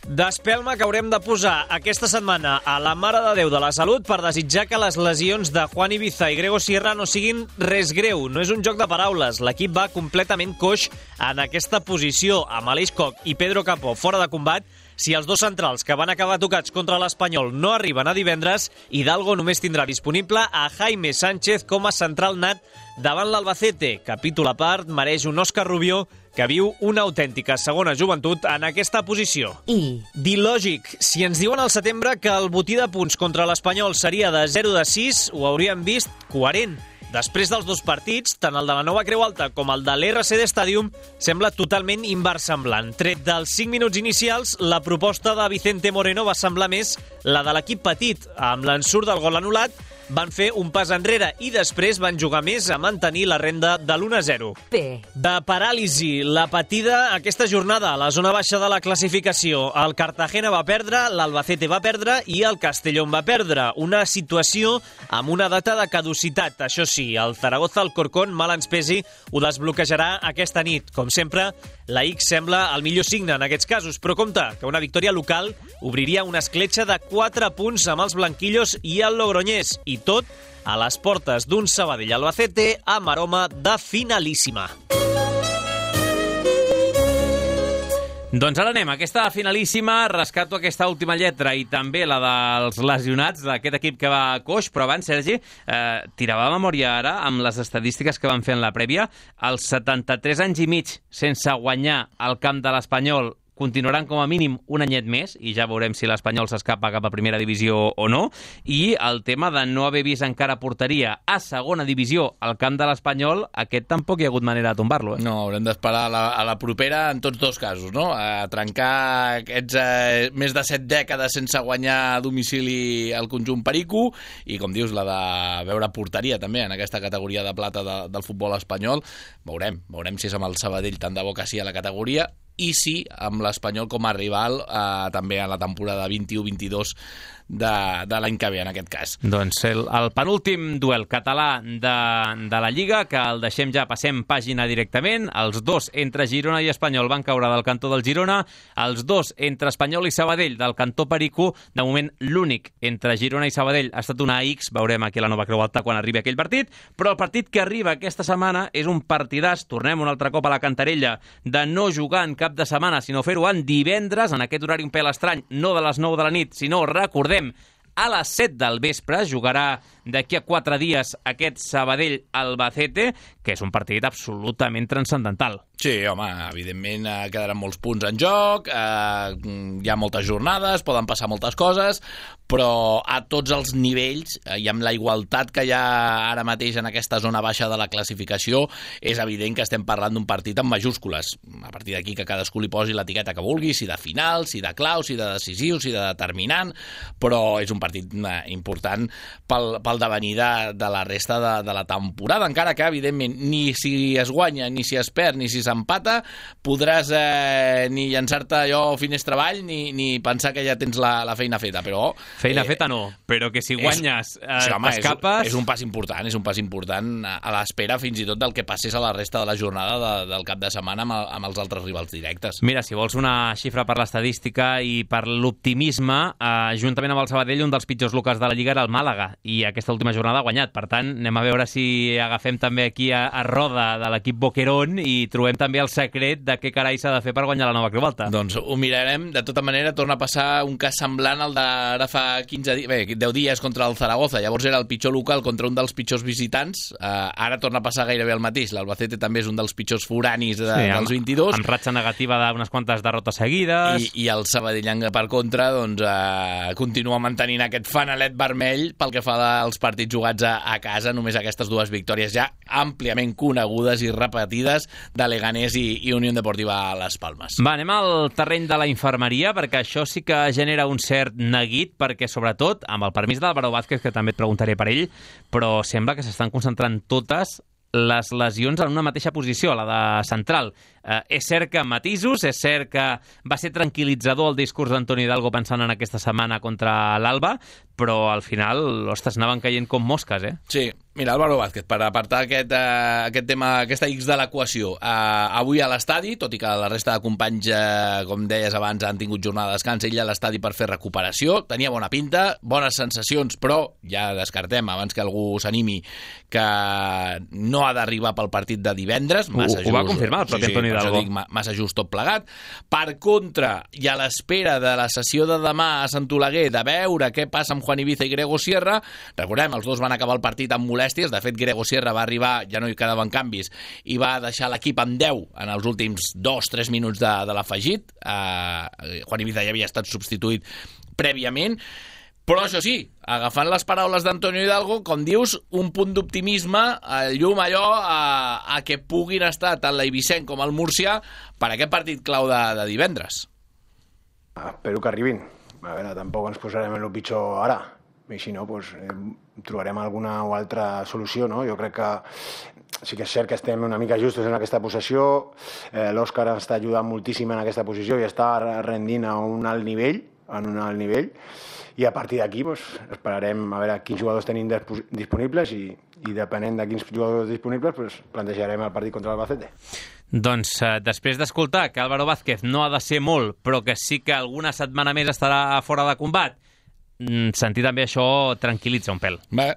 D'espelma que haurem de posar aquesta setmana a la Mare de Déu de la Salut per desitjar que les lesions de Juan Ibiza i Grego Sierra no siguin res greu. No és un joc de paraules. L'equip va completament coix en aquesta posició, amb Aleix Koch i Pedro Capó fora de combat. Si els 2 centrals que van acabar tocats contra l'Espanyol no arriben a divendres, Hidalgo només tindrà disponible a Jaime Sánchez com a central nat davant l'Albacete. Capítol a part, mereix un Òscar Rubio que viu una autèntica segona joventut en aquesta posició. D'il·lògic, si ens diuen al setembre que el botí de punts contra l'Espanyol seria de 0-6, ho hauríem vist coherent. Després dels 2 partits, tant el de la Nova Creu Alta com el de l'RCD Stadium sembla totalment inversemblant. Tret dels 5 minuts inicials, la proposta de Vicente Moreno va semblar més la de l'equip petit. Amb l'ensurt del gol anul·lat, van fer un pas enrere i després van jugar més a mantenir la renda de l'1-0. De paràlisi, la patida aquesta jornada a la zona baixa de la classificació. El Cartagena va perdre, l'Albacete va perdre i el Castellón va perdre. Una situació amb una data de caducitat. Això sí, el Zaragoza Alcorcón, mal ens pesi, ho desbloquejarà aquesta nit. Com sempre, la X sembla el millor signe en aquests casos, però compte, que una victòria local obriria una escletxa de 4 punts amb els blanquillos i el Logroñés, i tot a les portes d'un Sabadell Albacete amb aroma de finalíssima. Doncs ara anem, aquesta finalíssima, rescato aquesta última lletra i també la dels lesionats d'aquest equip que va coix, però abans, Sergi, tirava la memòria ara amb les estadístiques que van fer en la prèvia. Els 73 anys i mig sense guanyar al camp de l'Espanyol continuaran com a mínim un anyet més, i ja veurem si l'Espanyol s'escapa cap a primera divisió o no, i el tema de no haver vist encara porteria a segona divisió al camp de l'Espanyol, aquest tampoc hi ha hagut manera de tombar-lo. No, haurem d'esperar a la propera en tots dos casos, no? A trencar aquests més de 7 dècades sense guanyar a domicili el conjunt perico, i com dius, la de veure porteria també en aquesta categoria de plata del futbol espanyol. Veurem si és amb el Sabadell tant de bo que sí a la categoria, i sí, amb l'Espanyol com a rival també a la temporada 21-22 de l'any que ve, en aquest cas. Doncs el penúltim duel català de la Lliga, que el deixem ja, passem pàgina directament. Els dos entre Girona i Espanyol van caure del cantó del Girona, els dos entre Espanyol i Sabadell del cantó perico. De moment, l'únic entre Girona i Sabadell ha estat una X, veurem aquí a la Nova Creu Alta quan arribi aquell partit, però el partit que arriba aquesta setmana és un partidàs, tornem un altre cop a la cantarella, de no jugar en cap de setmana, sinó fer-ho en divendres, en aquest horari un pèl estrany, no de les 9 de la nit, sinó, recordem, a les 7 del vespre. Jugarà d'aquí a 4 dies aquest Sabadell-Albacete, que és un partit absolutament transcendental. Sí, home, evidentment quedaran molts punts en joc, hi ha moltes jornades, poden passar moltes coses, però a tots els nivells, i amb la igualtat que hi ha ara mateix en aquesta zona baixa de la classificació, és evident que estem parlant d'un partit amb majúscules. A partir d'aquí que cadascú li posi l'etiqueta que vulgui, si de final, si de clau, si de decisiu, si de determinant, però és un partit important pel devenir de la resta de la temporada, encara que, evidentment, ni si es guanya, ni si es perd, ni si s'empata, podràs ni llançar-te allò finestra avall, ni pensar que ja tens la feina feta, però... Feina feta no, però que si guanyes t'escapes... És un pas important a l'espera fins i tot del que passés a la resta de la jornada del cap de setmana amb els altres rivals directes. Mira, si vols una xifra per l'estadística i per l'optimisme, juntament amb el Sabadell, un dels pitjors locals de la Lliga era el Màlaga, i aquesta última jornada ha guanyat. Per tant, anem a veure si agafem també aquí a roda de l'equip Boquerón i trobem també el secret de què carai s'ha de fer per guanyar la Nova Creu Alta. Doncs ho mirarem. De tota manera, torna a passar un cas semblant al d'ara fa 10 dies contra el Zaragoza. Llavors era el pitjor local contra un dels pitjors visitants. Ara torna a passar gairebé el mateix. L'Albacete també és un dels pitjors foranis dels 22. Amb ratxa negativa d'unes quantes derrotes seguides. I el Sabadell, per contra, doncs, continua mantenint aquest fanalet vermell pel que fa als partits jugats a casa. Només aquestes dues victòries ja àmpliament conegudes i repetides de Leganés i Unió Deportiva Las Palmes. Va, anem al terreny de la infermeria, perquè això sí que genera un cert neguit, perquè sobretot, amb el permís d'Álvaro Vázquez, que també et preguntaré per ell, però sembla que s'estan concentrant totes les lesions en una mateixa posició, la de central. És cert que matisos, és cert que va ser tranquil·litzador el discurs d'Antoni Hidalgo pensant en aquesta setmana contra l'Alba, però al final, ostres, anaven caient com mosques, eh? Sí, mira, Álvaro Vázquez, per apartar aquest tema, aquesta X de l'equació, avui a l'estadi, tot i que la resta de companys, com deies abans, han tingut jornada de descans, ell a l'estadi per fer recuperació, tenia bona pinta, bones sensacions, però ja descartem, abans que algú s'animi, que no ha d'arribar pel partit de divendres, massa just. Ho va confirmar el propi Antoni Hidalgo. Dic, massa just tot plegat. Per contra, i a l'espera de la sessió de demà a Sant Oleguer, de veure què passa amb Juan Ibiza i Grego Sierra, recordem, els dos van acabar el partit amb molèsties. De fet, Grego Sierra va arribar, ja no hi quedaven canvis, i va deixar l'equip amb 10 en els últims 2-3 minuts de l'afegit. Juan Ibiza ja havia estat substituït prèviament. Però això sí, agafant les paraules d'Antonio Hidalgo, com dius, un punt d'optimisme, llum allò a que puguin estar tant l'Eivissenc com el Múrcia per aquest partit clau de divendres. Espero que arribin. A veure, tampoc ens posarem en el pitjor ara. I si no, doncs, trobarem alguna o altra solució, no? Jo crec que sí que és cert que estem una mica justos en aquesta possessió. L'Òscar està ajudant moltíssim en aquesta posició i està rendint a un alt nivell, i a partir d'aquí esperarem a veure quins jugadors tenim disponibles i depenent de quins jugadors disponibles plantejarem el partit contra l'Albacete. Doncs després d'escoltar que Álvaro Vázquez no ha de ser molt, però que sí que alguna setmana més estarà fora de combat, sentir també això tranquil·litza un pèl. Bé,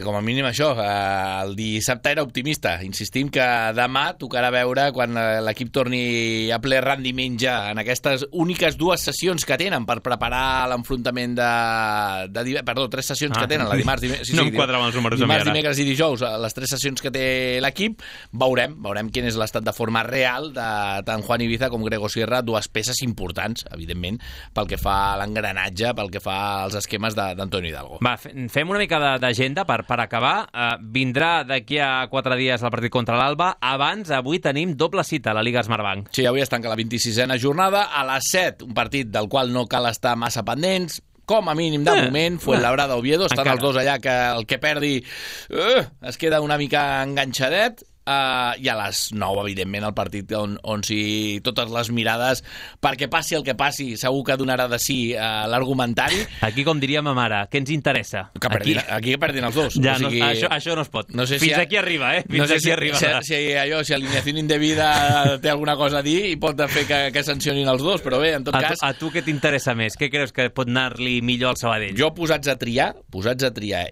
com a mínim això, el dissabte era optimista. Insistim que demà tocarà veure quan l'equip torni a ple rendiment ja en aquestes úniques 2 sessions que tenen per preparar l'enfrontament perdó, 3 sessions que tenen, la dimarts, no em quadra amb els números dimarts, dimecres i dijous, les 3 sessions que té l'equip. Veurem quin és l'estat de forma real de tant Juan Ibiza com Grego Sierra, 2 peces importants, evidentment, pel que fa a l'engranatge, pel que fa als esquemes d'Antonio Hidalgo. Va, fem una mica d'agenda per acabar. Vindrà d'aquí a 4 dies el partit contra l'Alba. Abans, avui tenim doble cita a la Liga Smartbank. Sí, avui es tanca la 26a jornada. A les 7, un partit del qual no cal estar massa pendents. Com a mínim, de moment, Fuenlabrada Oviedo. Estan els dos allà que el que perdi es queda una mica enganxadet. I a les 9, evidentment, el partit on si totes les mirades, perquè passi el que passi, segur que donarà de sí l'argumentari. Aquí, com diria ma mare, què ens interessa? Aquí que perdin els dos. Ja, això no es pot. No sé Fins aquí arriba, Fins aquí arriba. Si alineació indebida té alguna cosa a dir i pot fer que sancionin els dos, però bé, en tot cas... A tu què t'interessa més? Què creus que pot anar-li millor al Sabadell? Jo posats a triar,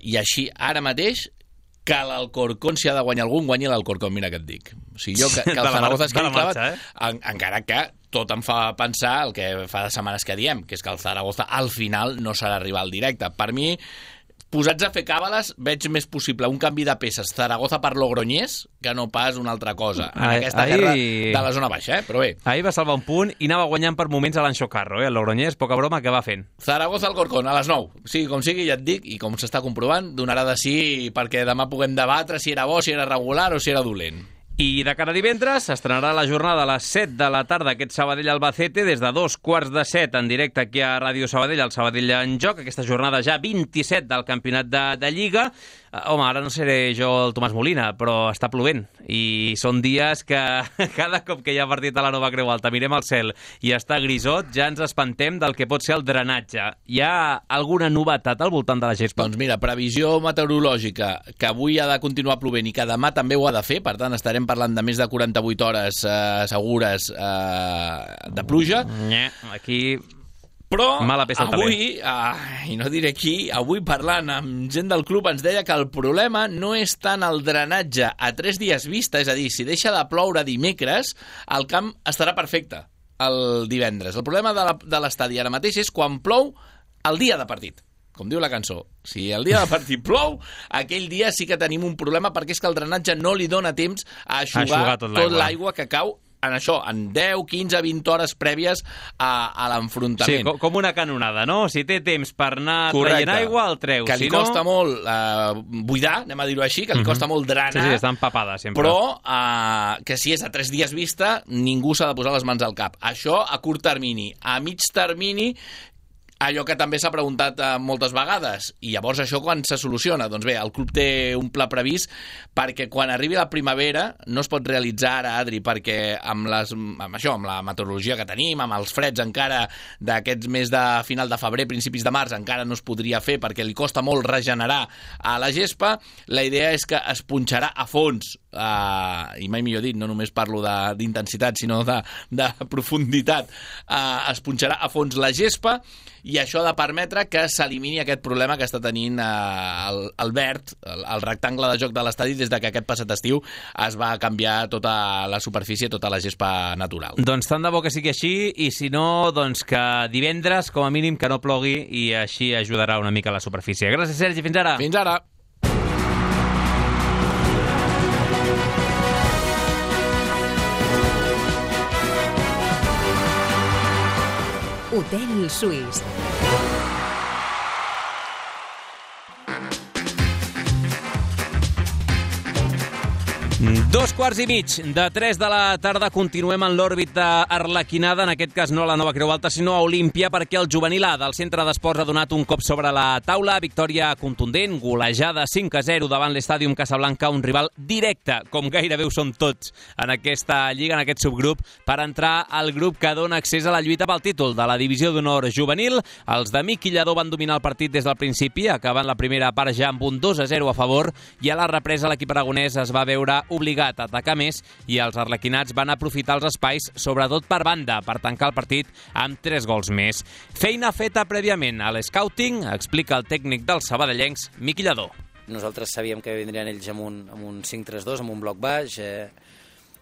i així ara mateix que l'Alcorcón, si ha de guanyar algun, guanyi l'Alcorcón, mira què et dic. O sigui, jo que el Zaragoza es quedi clavat, encara que tot em fa pensar el que fa de setmanes que diem, que és que el Zaragoza al final no serà rival directe. Per mi, posats a fer càbales, veig més possible un canvi de peces Zaragoza per Logroñés que no pas una altra cosa en aquesta guerra de la zona baixa, però bé. Ahir va salvar un punt i anava guanyant per moments a l'Anxo Carro, el Logroñés, poca broma, que va fent. Zaragoza Alcorcón, a les 9. Sigui com sigui, ja et dic, i com s'està comprovant, donarà de sí perquè demà puguem debatre si era bo, si era regular o si era dolent. I de cara a divendres s'estrenarà la jornada a les 7 de la tarda aquest Sabadell-Albacete des de 2:15 en directe aquí a Ràdio Sabadell, el Sabadell en joc, aquesta jornada ja 27 del campionat de Lliga. Home, ara no seré jo el Tomàs Molina, però està plovent i són dies que cada cop que hi ha partit a la Nova Creu Alta mirem al cel i està grisot, ja ens espantem del que pot ser el drenatge. Hi ha alguna novetat al voltant de la gespa? Doncs mira, previsió meteorològica, que avui ha de continuar plovent i que demà també ho ha de fer, per tant estarem parlant de més de 48 hores segures de pluja. Aquí... Però avui, i no diré qui, avui parlant amb gent del club ens deia que el problema no és tant el drenatge a 3 dies vista, és a dir, si deixa de ploure dimecres, el camp estarà perfecte el divendres. El problema de l'estadi ara mateix és quan plou el dia de partit. Com diu la cançó, si el dia de partit plou, aquell dia sí que tenim un problema perquè és que el drenatge no li dona temps a eixugar tot l'aigua que cau en això, en 10, 15, 20 hores prèvies a l'enfrontament. Sí, com una canonada, no? Si té temps per anar traient aigua, el treu. Que li costa molt buidar, anem a dir-ho així, que li costa molt drenar. Sí, està empapada sempre. Però que si és a 3 dies vista, ningú s'ha de posar les mans al cap. Això a curt termini. A mig termini, allò que també s'ha preguntat moltes vegades, i llavors això quan se soluciona? Doncs bé, el club té un pla previst perquè quan arribi la primavera no es pot realitzar ara, Adri, perquè amb la meteorologia que tenim, amb els freds encara d'aquests mes de final de febrer, principis de març, encara no es podria fer perquè li costa molt regenerar a la gespa. La idea és que es punxarà a fons, i mai millor dit, no només parlo d'intensitat, sinó de profunditat, es punxarà a fons la gespa, i això ha de permetre que s'elimini aquest problema que està tenint el verd, el rectangle de joc de l'estadi, des de que aquest passat estiu es va canviar tota la superfície, tota la gespa natural. Doncs tant de bo que sigui així, i si no, doncs que divendres, com a mínim, que no plogui, i així ajudarà una mica la superfície. Gràcies, Sergi, fins ara. Fins ara. Hotel Suís. Dos quarts i mig de 3 de la tarda, continuem en l'òrbita arlequinada, en aquest cas no a la Nova Creu Alta, sinó a Olímpia, perquè el juvenil A del centre d'esports ha donat un cop sobre la taula, victòria contundent, golejada 5-0 davant l'Estàdium Casablanca, un rival directe, com gairebé ho són tots en aquesta lliga, en aquest subgrup, per entrar al grup que dona accés a la lluita pel títol de la Divisió d'Honor Juvenil. Els de Miqui Lladó van dominar el partit des del principi, acabant la primera part ja amb un 2-0 a favor, i a la represa l'equip aragonès es va veure obligat a atacar més i els arlequinats van aprofitar els espais, sobretot per banda, per tancar el partit amb 3 gols més. Feina feta prèviament a l'scouting, explica el tècnic dels sabadellencs, Miqui Lladó. Nosaltres sabíem que vindrien ells amb un 5-3-2, amb un bloc baix.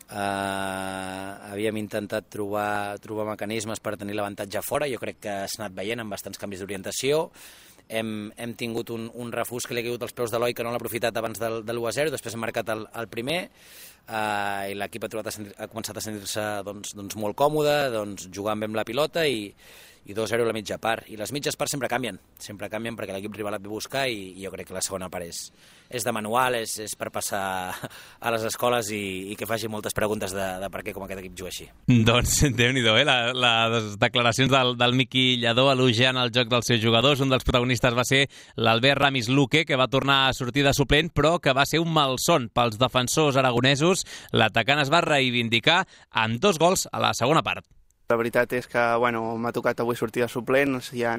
Havíem intentat trobar mecanismes per tenir l'avantatge fora. Jo crec que s'ha anat veient amb bastants canvis d'orientació. Hem tingut un refús que li ha caigut als peus de l'Eloi, que no l'ha aprofitat abans del 1-0, després hem marcat el primer, i l'equip ha començat a sentir-se molt còmode, jugant bé amb la pilota i 2-0 a la mitja part. I les mitges parts sempre canvien perquè l'equip rival et ve a buscar i jo crec que la segona part és de manual, és per passar a les escoles i que faci moltes preguntes de per què com aquest equip juga així. Doncs Déu-n'hi-do, les declaracions del Miqui Lladó elogiant el joc dels seus jugadors. Un dels protagonistes va ser l'Albert Ramis Luque, que va tornar a sortir de suplent, però que va ser un malson pels defensors aragonesos. L'atacant es va reivindicar amb 2 gols a la segona part. La veritat és que m'ha tocat avui sortir de suplent, hi ha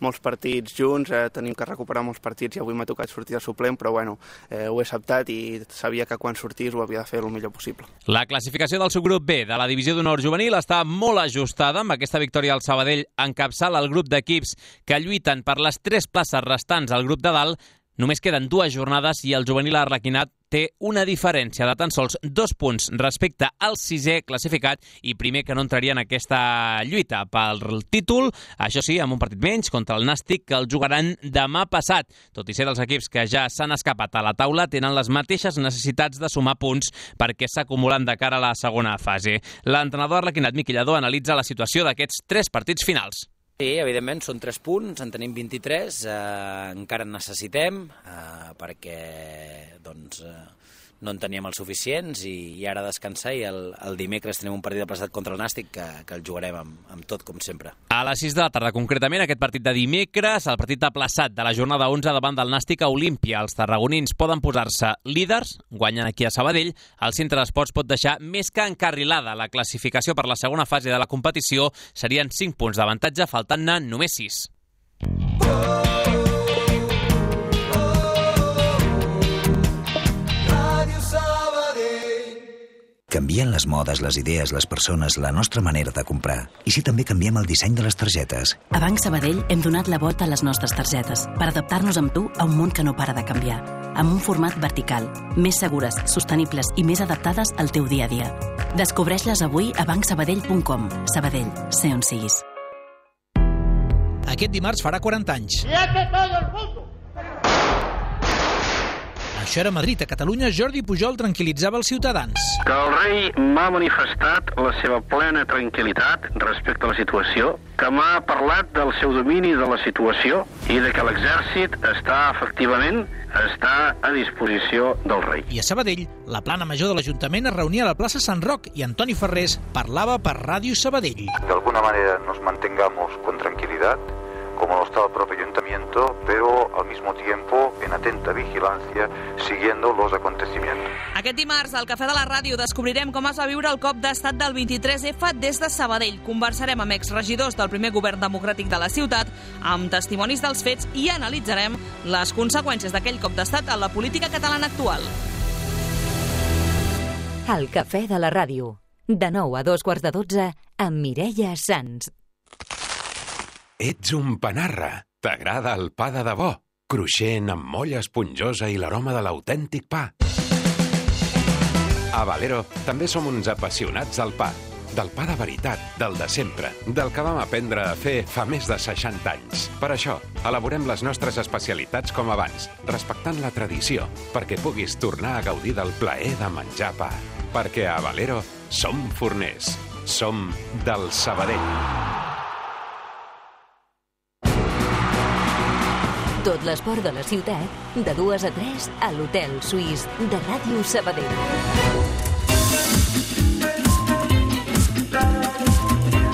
molts partits junts, tenim que recuperar molts partits i avui m'ha tocat sortir de suplent, però ho he acceptat i sabia que quan sortís ho havia de fer el millor possible. La classificació del subgrup B de la Divisió d'Honor Juvenil està molt ajustada. Amb aquesta victòria el Sabadell encapçala el grup d'equips que lluiten per les 3 places restants al grup de dalt. Només queden 2 jornades i el juvenil arlequinat té una diferència de tan sols 2 punts respecte al 6è classificat i primer, que no entraria en aquesta lluita pel títol, això sí, amb un partit menys contra el Nàstic, que el jugaran demà passat. Tot i ser dels equips que ja s'han escapat a la taula, tenen les mateixes necessitats de sumar punts perquè s'acumulen de cara a la segona fase. L'entrenador arlequinat Miqui Lladó analitza la situació d'aquests 3 partits finals. Sí, evidentment, són 3 punts, en tenim 23, encara en necessitem, perquè no en teníem els suficients i ara descansar, i el dimecres tenim un partit aplaçat contra el Nàstic que el jugarem amb tot, com sempre. A les 6 de la tarda, concretament, aquest partit de dimecres, el partit aplaçat de la jornada 11 davant del Nàstic a Olímpia. Els tarragonins poden posar-se líders, guanyen aquí a Sabadell. El centre d'esports pot deixar més que encarrilada la classificació per la segona fase de la competició. Serien 5 punts d'avantatge, faltant-ne només 6. Canvien les modes, les idees, les persones, la nostra manera de comprar. I si també canviem el disseny de les targetes? A Banc Sabadell hem donat la volta a les nostres targetes per adaptar-nos amb tu a un món que no para de canviar. Amb un format vertical, més segures, sostenibles i més adaptades al teu dia a dia. Descobreix-les avui a bancsabadell.com. Sabadell, sé on siguis. Aquest dimarts farà 40 anys. Això era Madrid. A Catalunya, Jordi Pujol tranquil·litzava els ciutadans. Que el rei m'ha manifestat la seva plena tranquil·litat respecte a la situació, que m'ha parlat del seu domini de la situació i de que l'exèrcit està a disposició del rei. I a Sabadell, la plana major de l'Ajuntament es reunia a la plaça Sant Roc i Antoni Ferrés parlava per Ràdio Sabadell. De alguna manera nos mantengamos con tranquilidad, como lo está el propio ayuntamiento, pero al mismo tiempo en atenta vigilancia, siguiendo los acontecimientos. Aquest dimarts, al Cafè de la Ràdio, descobrirem com es va viure el cop d'estat del 23F des de Sabadell. Conversarem amb exregidors del primer govern democràtic de la ciutat, amb testimonis dels fets, i analitzarem les conseqüències d'aquell cop d'estat en la política catalana actual. El Cafè de la Ràdio, de 9 a 2:15, amb Mireia Sans. Ets un panarra. T'agrada el pa de debò. Cruixent, amb molla esponjosa i l'aroma de l'autèntic pa. A Valero també som uns apassionats del pa. Del pa de veritat, del de sempre, del que vam aprendre a fer fa més de 60 anys. Per això, elaborem les nostres especialitats com abans, respectant la tradició, perquè puguis tornar a gaudir del plaer de menjar pa. Perquè a Valero som forners. Som del Sabadell. Tot l'esport de la ciutat, de 2 a 3, a l'Hotel Suís de Ràdio Sabadell.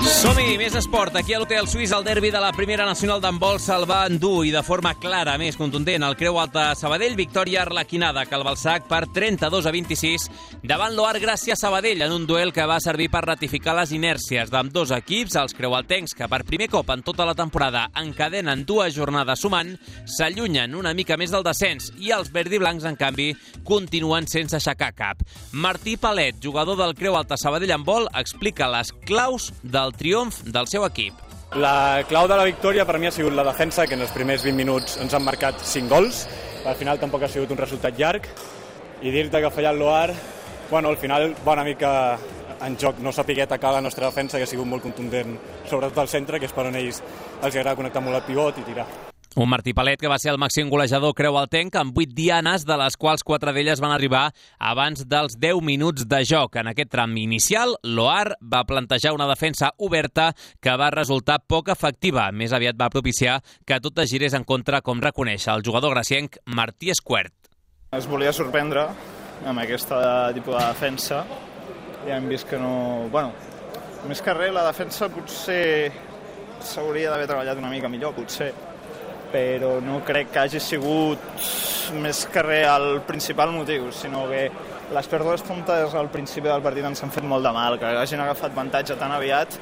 Som-hi! Més Esport, aquí a l'Hotel Suís, el derbi de la Primera Nacional d'handbol se'l va endur i de forma clara, més contundent, el Creu Alta Sabadell, victòria arlequinada que el Balsac per 32-26 davant l'Oar Gràcia Sabadell en un duel que va servir per ratificar les inèrcies d'ambdós equips. Els creualtencs, que per primer cop en tota la temporada encadenen 2 jornades sumant, s'allunyen una mica més del descens i els verdiblancs, en canvi, continuen sense aixecar cap. Martí Palet, jugador del Creu Alta Sabadell handbol, explica les claus del triomf del seu equip. La clau de la victòria per mi ha sigut la defensa, que en els primers 20 minuts ens han marcat 5 gols. Al final tampoc ha sigut un resultat llarg. I dir-te que ha fallat l'Oar, al final va una mica en joc no saber atacar la nostra defensa, que ha sigut molt contundent, sobretot al centre, que és per on ells els agrada connectar molt el pivot i tirar. Un Martí Palet que va ser el màxim golejador creualtenc amb 8 dianes, de les quals 4 d'elles van arribar abans dels 10 minuts de joc. En aquest tram inicial, l'Oar va plantejar una defensa oberta que va resultar poc efectiva. Més aviat va propiciar que tot es girés en contra, com reconeix el jugador gracienc Martí Esquert. Es volia sorprendre amb aquesta tipus de defensa i hem vist que no... més que res, la defensa potser s'hauria d'haver treballat una mica millor, potser, però no crec que hagi sigut més que res el principal motiu, sinó que les pèrdues tontes al principi del partit ens han fet molt de mal, que hagin agafat avantatge tan aviat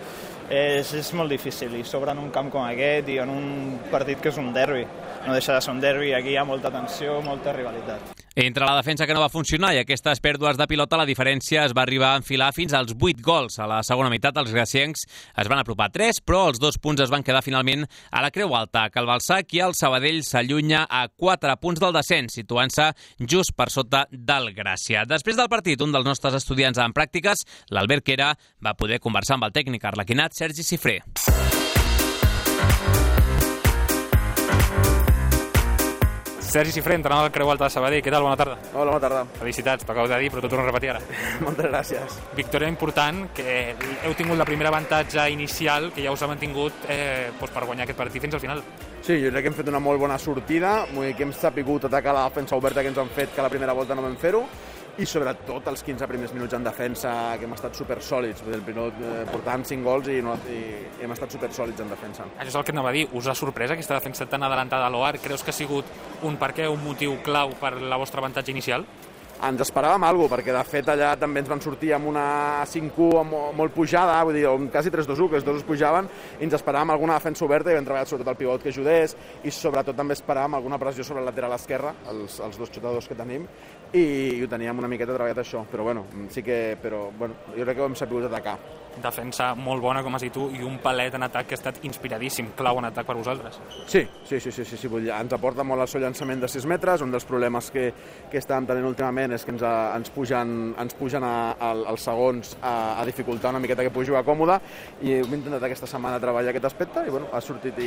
és molt difícil, i sobre en un camp com aquest i en un partit que és un derbi. No deixa de ser un derbi, aquí hi ha molta tensió, molta rivalitat. Entre la defensa que no va funcionar i aquestes pèrdues de pilota, la diferència es va arribar a enfilar fins als 8 gols. A la segona meitat, els graciencs es van apropar 3, però els 2 punts es van quedar finalment a la Creu Alta, que el Balsac i el Sabadell s'allunya a 4 punts del descens, situant-se just per sota del Gràcia. Després del partit, un dels nostres estudiants en pràctiques, l'Albert Quera, va poder conversar amb el tècnic arlequinat Sergi Cifré. Sergi Cifré, entrenador del Creu Alta de Sabadell. Què tal? Bona tarda. Hola, bona tarda. Felicitats, t'acabo de dir, però t'ho torno a repetir ara. Moltes gràcies. Victòria important, que heu tingut la primera avantatge inicial, que ja us ha mantingut per guanyar aquest partit fins al final. Sí, jo crec que hem fet una molt bona sortida, que hem sapigut atacar la defensa oberta que ens han fet, que la primera volta no vam fer-ho, i sobretot els 15 primers minuts en defensa, que hem estat supersòlids. Portàvem 5 gols i hem estat supersòlids en defensa. Això és el que anava a dir. Us ha sorprès aquesta defensa tan adelantada a l'Oar? Creus que ha sigut un motiu clau per la vostra avantatge inicial? Ens esperàvem alguna cosa, perquè de fet allà també ens van sortir amb una 5-1 molt pujada, vull dir, quasi 3-2-1, que els dos es pujaven, i ens esperàvem alguna defensa oberta i vam treballar sobretot el pivot que ajudés, i sobretot també esperàvem alguna pressió sobre el lateral esquerre, els 2 xutadors que tenim, i ho teníem una miqueta treballat això, però jo crec que ho hem sabut atacar. Defensa molt bona, com has dit tu, i un Palet en atac que ha estat inspiradíssim, clau en atac per vosaltres. Sí, ens aporta molt el seu llançament de 6 metres, un dels problemes que estàvem tenint últimament és que ens pugen als segons a dificultar una miqueta que pugui jugar còmode, i hem intentat aquesta setmana treballar aquest aspecte i ha sortit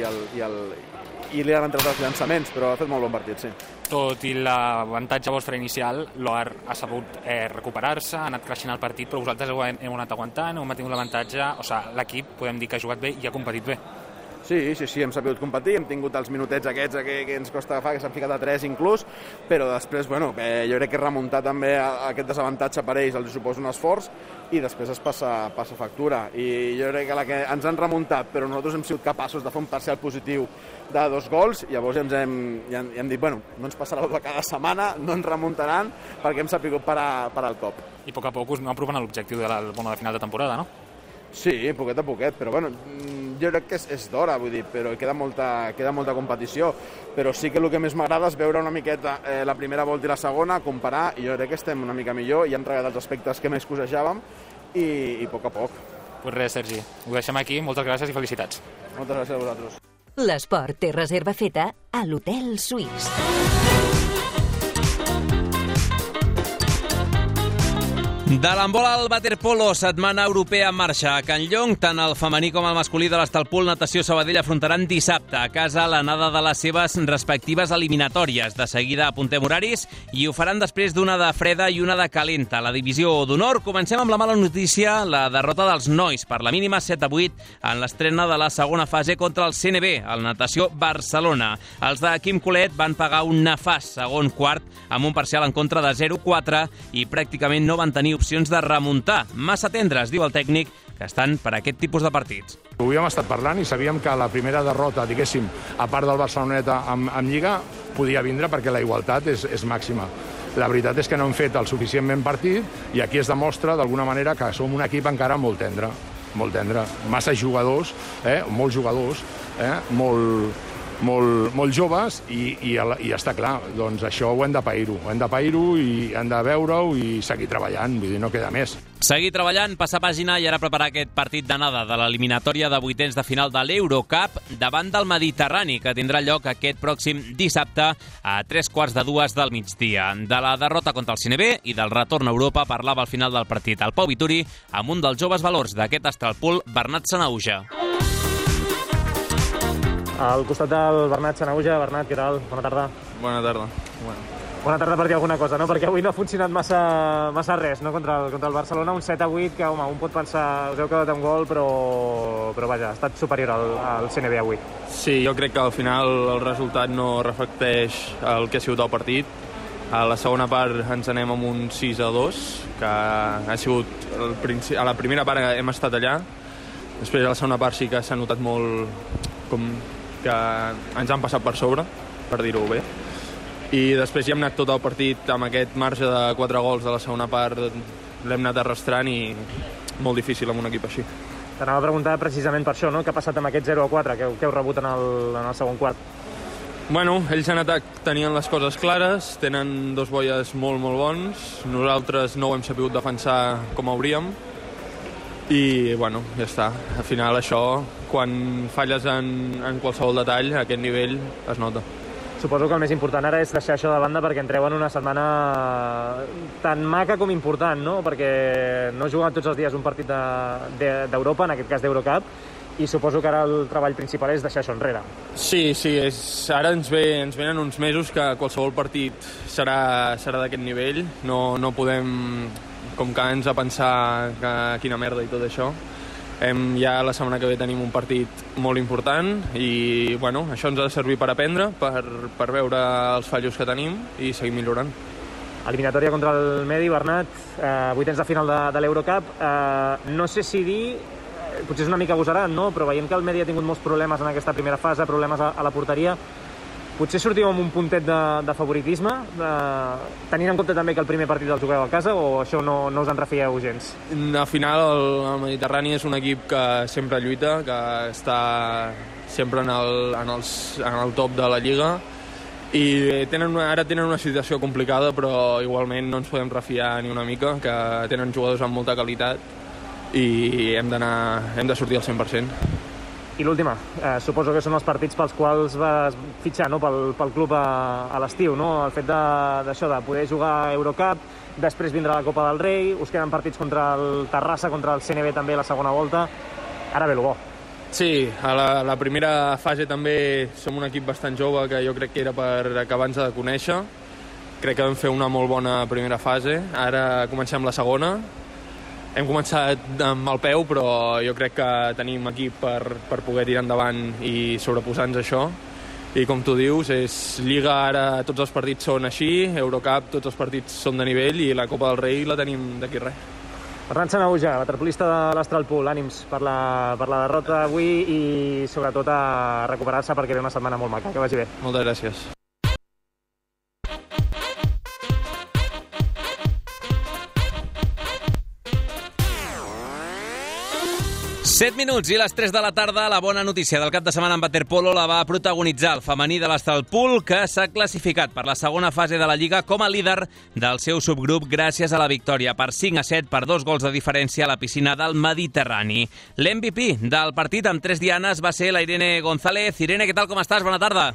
i li han entrat els llançaments, però ha fet molt bon partit, sí. Tot i l'avantatge vostre inicial, l'Oar ha sabut recuperar-se, ha anat creixent el partit, però vosaltres heu anat aguantant, heu mantingut l'avantatge, l'equip podem dir que ha jugat bé i ha competit bé. Sí, hem sabut competir, hem tingut els minutets aquests que ens costa agafar, que s'han ficat a 3 inclús, però després, jo crec que remuntar també aquest desavantatge per ells els suposa un esforç i després es passa factura. I jo crec que la que ens han remuntat, però nosaltres hem sigut capaços de fer un parcial positiu de 2 gols, llavors ja hem dit, no ens passarà de cada setmana, no ens remuntaran, perquè hem sapigut parar el cop. I a poc a poc us aneu apropant a l'objectiu de final de temporada, no? Sí, poquet a poquet, però jo crec que és d'hora, però queda molta competició, però sí que el que més m'agrada és veure una miqueta la primera volta i la segona, comparar, i jo crec que estem una mica millor i hem treballat els aspectes que més cosejàvem i a poc a poc. Pues res, Sergi, ho deixem aquí, moltes gràcies i felicitats. Moltes gràcies a vosaltres. L'esport té reserva feta a l'Hotel Suís. De l'handbol al waterpolo, setmana europea en marxa. A Can Llong, tant el femení com el masculí de l'Estalpol Natació Sabadell afrontaran dissabte a casa l'anada de les seves respectives eliminatòries. De seguida apuntem horaris i ho faran després d'una de freda i una de calenta. La divisió d'honor, comencem amb la mala notícia, la derrota dels nois per la mínima 7-8 en l'estrena de la segona fase contra el CNB, el Natació Barcelona. Els de Quim Colet van pagar un nefast segon quart amb un parcial en contra de 0-4 i pràcticament no van tenir opcions de remuntar. Massa tendres, diu el tècnic, que estan per aquest tipus de partits. Ho havíem estat parlant i sabíem que la primera derrota, diguéssim, a part del Barceloneta amb Lliga, podia vindre perquè la igualtat és màxima. La veritat és que no hem fet el suficientment partit i aquí es demostra d'alguna manera que som un equip encara molt tendre. Massa jugadors, molts jugadors, molt joves i està clar, doncs això ho hem de pair-ho i hem de veure-ho i seguir treballant, vull dir, no queda més. Seguir treballant, passar pàgina i ara preparar aquest partit d'anada de l'eliminatòria de vuitens de final de l'Eurocup davant del Mediterrani, que tindrà lloc aquest pròxim dissabte a 2:45 del migdia. De la derrota contra el CNB i del retorn a Europa parlava al final del partit el Pau Vituri amb un dels joves valors d'aquest Astralpool, Bernat Sanahuja. Al costat del Bernat Sanahuja. Bernat, què tal? Bona tarda. Bona tarda. Bona tarda per dir alguna cosa, no? Perquè avui no ha funcionat massa res, no? Contra el Barcelona, un 7-8, que, home, un pot pensar, us heu quedat un gol, però vaja, ha estat superior al CNB avui. Sí, jo crec que al final el resultat no reflecteix el que ha sigut el partit. A la segona part ens anem amb un 6-2, que ha sigut... A la primera part hem estat allà, després a la segona part sí que s'ha notat molt com que ens han passat per sobre, per dir-ho bé. I després hi hem anat tot el partit amb aquest marge de 4 gols de la segona part, l'hem anat arrastrant i molt difícil amb un equip així. T'anava a preguntar precisament per això, no? Què ha passat amb aquest 0-4 que heu rebut en el segon quart? Bueno, ells en atac tenien les coses clares, tenen dos boies molt bons, nosaltres no ho hem sabut defensar com hauríem i, bueno, ja està. Al final això, quan falles en qualsevol detall, a aquest nivell es nota. Suposo que el més important ara és deixar això de banda perquè entreu en una setmana tan maca com important, no? Perquè no juguen tots els dies un partit d'Europa, en aquest cas d'Eurocup, i suposo que ara el treball principal és deixar això enrere. Sí, ara ens venen uns mesos que qualsevol partit serà d'aquest nivell. No podem com quedar-nos a pensar que quina merda i tot això. Ja la setmana que ve tenim un partit molt important i bueno, això ens ha de servir per aprendre, per veure els fallos que tenim i seguir millorant. Eliminatòria contra el Medi, Bernat, vuitens de final de l'Eurocup. No sé si dir, potser és una mica agosarat, no? Però veiem que el Medi ha tingut molts problemes en aquesta primera fase, problemes a la porteria. Potser sortiu amb un puntet de favoritisme, tenint en compte també que el primer partit el jugueu a casa, o això no us en refieu gens? Al final el Mediterrani és un equip que sempre lluita, que està sempre en el top de la Lliga i ara tenen una situació complicada, però igualment no ens podem refiar ni una mica, que tenen jugadors amb molta qualitat i hem de sortir al 100%. I l'última, suposo que són els partits pels quals vas fitxar, no? pel club a l'estiu, no? El fet d'això, de poder jugar a Eurocup, després vindrà la Copa del Rei, us queden partits contra el Terrassa, contra el CNB també la segona volta, ara ve el bo. Sí, a la primera fase també som un equip bastant jove, que jo crec que era per acabar-nos de conèixer. Crec que vam fer una molt bona primera fase, ara comencem la segona. Hem començat amb el peu, però jo crec que tenim equip per poder tirar endavant i sobreposar-nos això. I com tu dius, Lliga ara tots els partits són així, Eurocup tots els partits són de nivell i la Copa del Rei la tenim d'aquí res. Bernat Sanahuja, waterpolista de l'Astralpool, ànims per la derrota avui i sobretot a recuperar-se perquè ve una setmana molt maca. Que vagi bé. Moltes gràcies. 7 minuts i les 3 de la tarda. La bona notícia del cap de setmana en waterpolo la va protagonitzar el femení de l'Astralpool, que s'ha classificat per la segona fase de la Lliga com a líder del seu subgrup gràcies a la victòria per 5-7 per 2 gols de diferència a la piscina del Mediterrani. L'MVP del partit amb 3 dianes va ser la Irene González. Irene, què tal, com estàs? Bona tarda.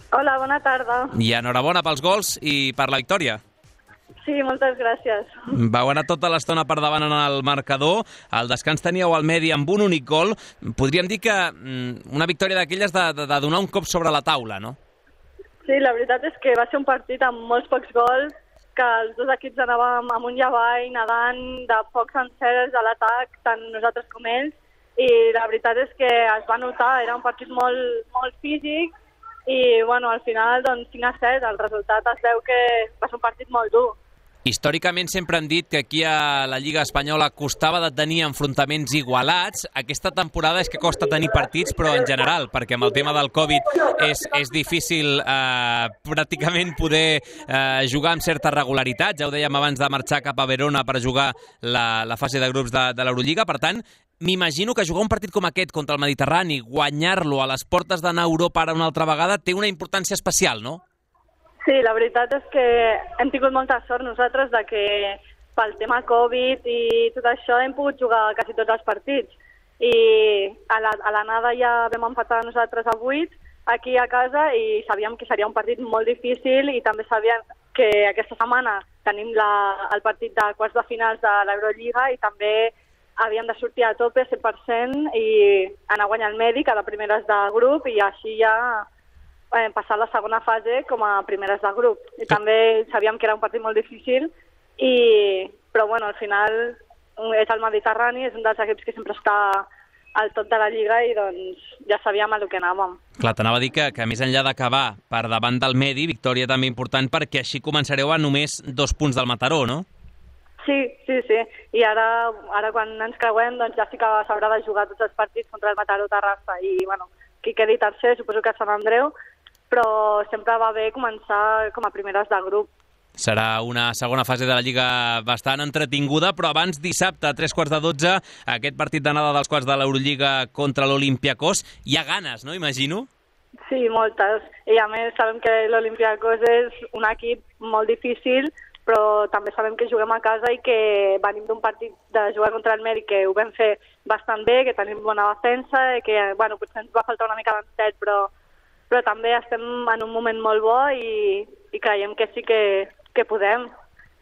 Hola, bona tarda. I enhorabona pels gols i per la victòria. Sí, moltes gràcies. Vau anar tota l'estona per davant en el marcador. Al descans teníeu el Medi amb un únic gol. Podríem dir que una victòria d'aquelles de donar un cop sobre la taula, no? Sí, la veritat és que va ser un partit amb molts pocs gols, que els dos equips anàvem amunt i avall, nedant de pocs encerts a l'atac, tant nosaltres com ells, i la veritat és que es va notar, era un partit molt físic, i bueno, al final, doncs, 5-7, el resultat es veu que va ser un partit molt dur. Històricament sempre han dit que aquí a la Lliga Espanyola costava de tenir enfrontaments igualats. Aquesta temporada és que costa tenir partits, però en general, perquè amb el tema del Covid és difícil pràcticament poder jugar amb certa regularitat. Ja ho dèiem abans de marxar cap a Verona per jugar la fase de grups de l'Eurolliga. Per tant, m'imagino que jugar un partit com aquest contra el Mediterrani, guanyar-lo a les portes d'anar a Europa ara una altra vegada, té una importància especial, no? Sí, la veritat és que hem tingut molta sort nosaltres de que pel tema Covid i tot això hem pogut jugar quasi tots els partits. I a l'anada ja vam empatar nosaltres a 8 aquí a casa i sabíem que seria un partit molt difícil i també sabíem que aquesta setmana tenim el partit de quarts de finals de l'Eurolliga i també havíem de sortir a tope 100% i anar a guanyar el Medi cada primeres de grup i així ja passar la segona fase com a primeres de grup. I també sabíem que era un partit molt difícil, però bueno, al final és el Mediterrani, és un dels equips que sempre està al top de la Lliga i doncs ja sabíem a lo que anàvem. Clar, t'anava a dir que més enllà d'acabar per davant del Medi, victòria també important perquè així començareu a només 2 punts del Mataró, no? Sí. I ara quan ens creuem doncs ja sí que s'haurà de jugar tots els partits contra el Mataró Terrassa i bueno, qui quedi tercer suposo que és Sant Andreu, però sempre va bé començar com a primeres de grup. Serà una segona fase de la Lliga bastant entretinguda, però abans dissabte a 11:45, aquest partit d'anada dels quarts de l'Eurolliga contra l'Olympiakos. Hi ha ganes, no? Imagino? Sí, moltes. I a més sabem que l'Olympiakos és un equip molt difícil, però també sabem que juguem a casa i que venim d'un partit de jugar contra el Medi que ho vam fer bastant bé, que tenim bona defensa, i que bueno, potser ens va faltar una mica d'encert, però també estem en un moment molt bo i creiem que sí que podem.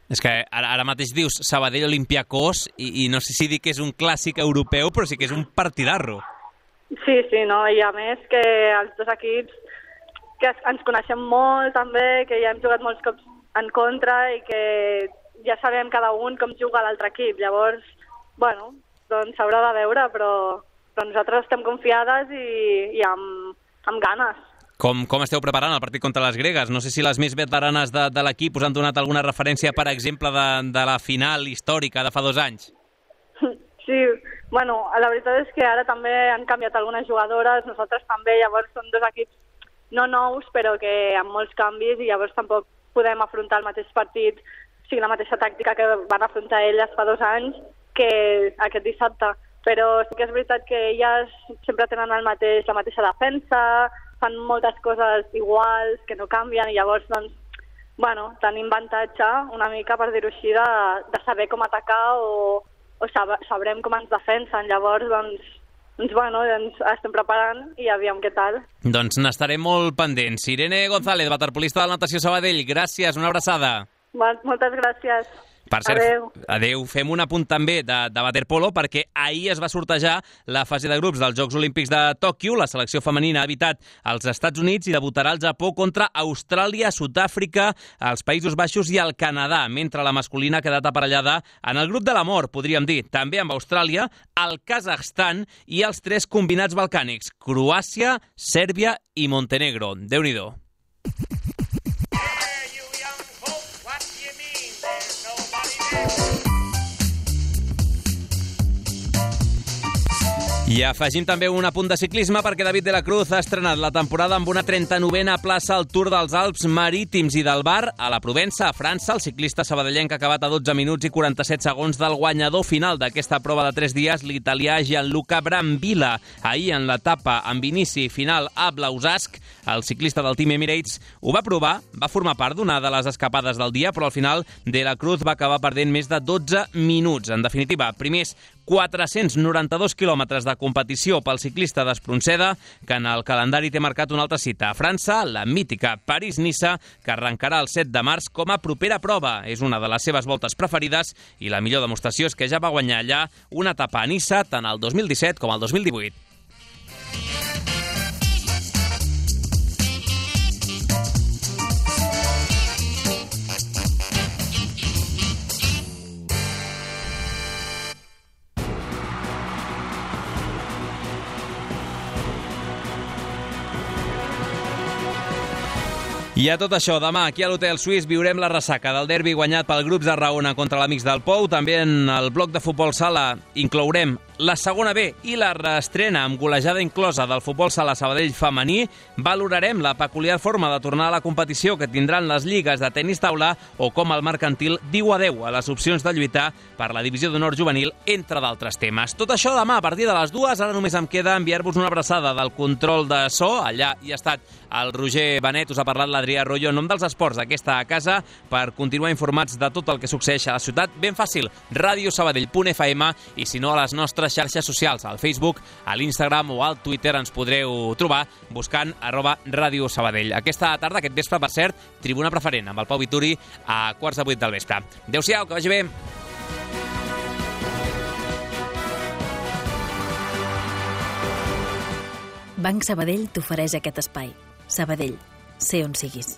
És que ara mateix dius Sabadell-Olympiakos i no sé si dir que és un clàssic europeu, però sí que és un partidarro. Sí, no, i a més que els dos equips que ens coneixem molt també, que ja hem jugat molts cops en contra i que ja sabem cada un com juga l'altre equip. Llavors, bueno, doncs s'haurà de veure, però nosaltres estem confiades i amb ganes. Com esteu preparant el partit contra les gregues? No sé si les més veteranes de l'equip us han donat alguna referència, per exemple, de la final històrica de fa 2 anys. Sí, bueno, la veritat és que ara també han canviat algunes jugadores, nosaltres també, llavors són 2 equips no nous, però que amb molts canvis, i llavors tampoc podem afrontar el mateix partit, o sigui, la mateixa tàctica que van afrontar elles fa 2 anys que aquest dissabte. Però sí que és veritat que elles sempre tenen la mateixa defensa, fan moltes coses iguals, que no canvien, i llavors, doncs, bueno, tenim avantatge una mica, per dir-ho així, de saber com atacar o sabrem com ens defensen. Llavors, bueno, ens estem preparant i aviam què tal. Doncs n'estarem molt pendents. Irene González, waterpolista del Natació Sabadell, gràcies, una abraçada. Moltes gràcies. Per cert, adeu. Fem un apunt també de waterpolo, perquè ahir es va sortejar la fase de grups dels Jocs Olímpics de Tòquio. La selecció femenina ha evitat els Estats Units i debutarà al Japó contra Austràlia, Sud-àfrica, els Països Baixos i el Canadà, mentre la masculina ha quedat aparellada en el grup de la mort, podríem dir, també amb Austràlia, el Kazakhstan i els 3 combinats balcànics, Croàcia, Sèrbia i Montenegro. Déu-n'hi-do. I afegim també un apunt de ciclisme perquè David de la Cruz ha estrenat la temporada amb una 39a plaça al Tour dels Alps Marítims i del Var a la Provença, a França. El ciclista sabadellenc ha acabat a 12 minuts i 47 segons del guanyador final d'aquesta prova de 3 dies, l'italià Gianluca Brambilla. Ahir, en l'etapa amb inici final a Blausask, el ciclista del Team Emirates ho va provar, va formar part d'una de les escapades del dia, però al final de la Cruz va acabar perdent més de 12 minuts. En definitiva, primers 492 quilòmetres de competició pel ciclista d'Espronceda, que en el calendari té marcat una altra cita a França, la mítica París-Niça, que arrencarà el 7 de març com a propera prova. És una de les seves voltes preferides i la millor demostració és que ja va guanyar allà una etapa a Niça tant el 2017 com el 2018. I a tot això, demà aquí a l'Hotel Suís viurem la ressaca del derbi guanyat pel Grups de Raona contra l'Amics del Pou. També en el bloc de futbol sala inclourem la segona B i la reestrena amb golejada inclosa del futbol sala Sabadell femení. Valorarem la peculiar forma de tornar a la competició que tindran les lligues de tenis taula o com el mercantil diu adeu a les opcions de lluitar per la divisió d'honor juvenil, entre d'altres temes. Tot això demà a partir de les 2. Ara només em queda enviar-vos una abraçada del control de so. Allà hi ha estat el Roger Benet, us ha parlat l'Adrià Royo en nom dels esports d'aquesta casa per continuar informats de tot el que succeeix a la ciutat. Ben fàcil, radiosabadell.fm, i si no a les nostres xarxes socials, al Facebook, a l'Instagram o al Twitter ens podreu trobar buscant @Radio Sabadell. Aquesta tarda, aquest vespre, per cert, tribuna preferent amb el Pau Vituri a 7:45 del vespre. Adéu-siau, que vagi bé. Banc Sabadell t'ofereix aquest espai. Sabadell, sé on siguis.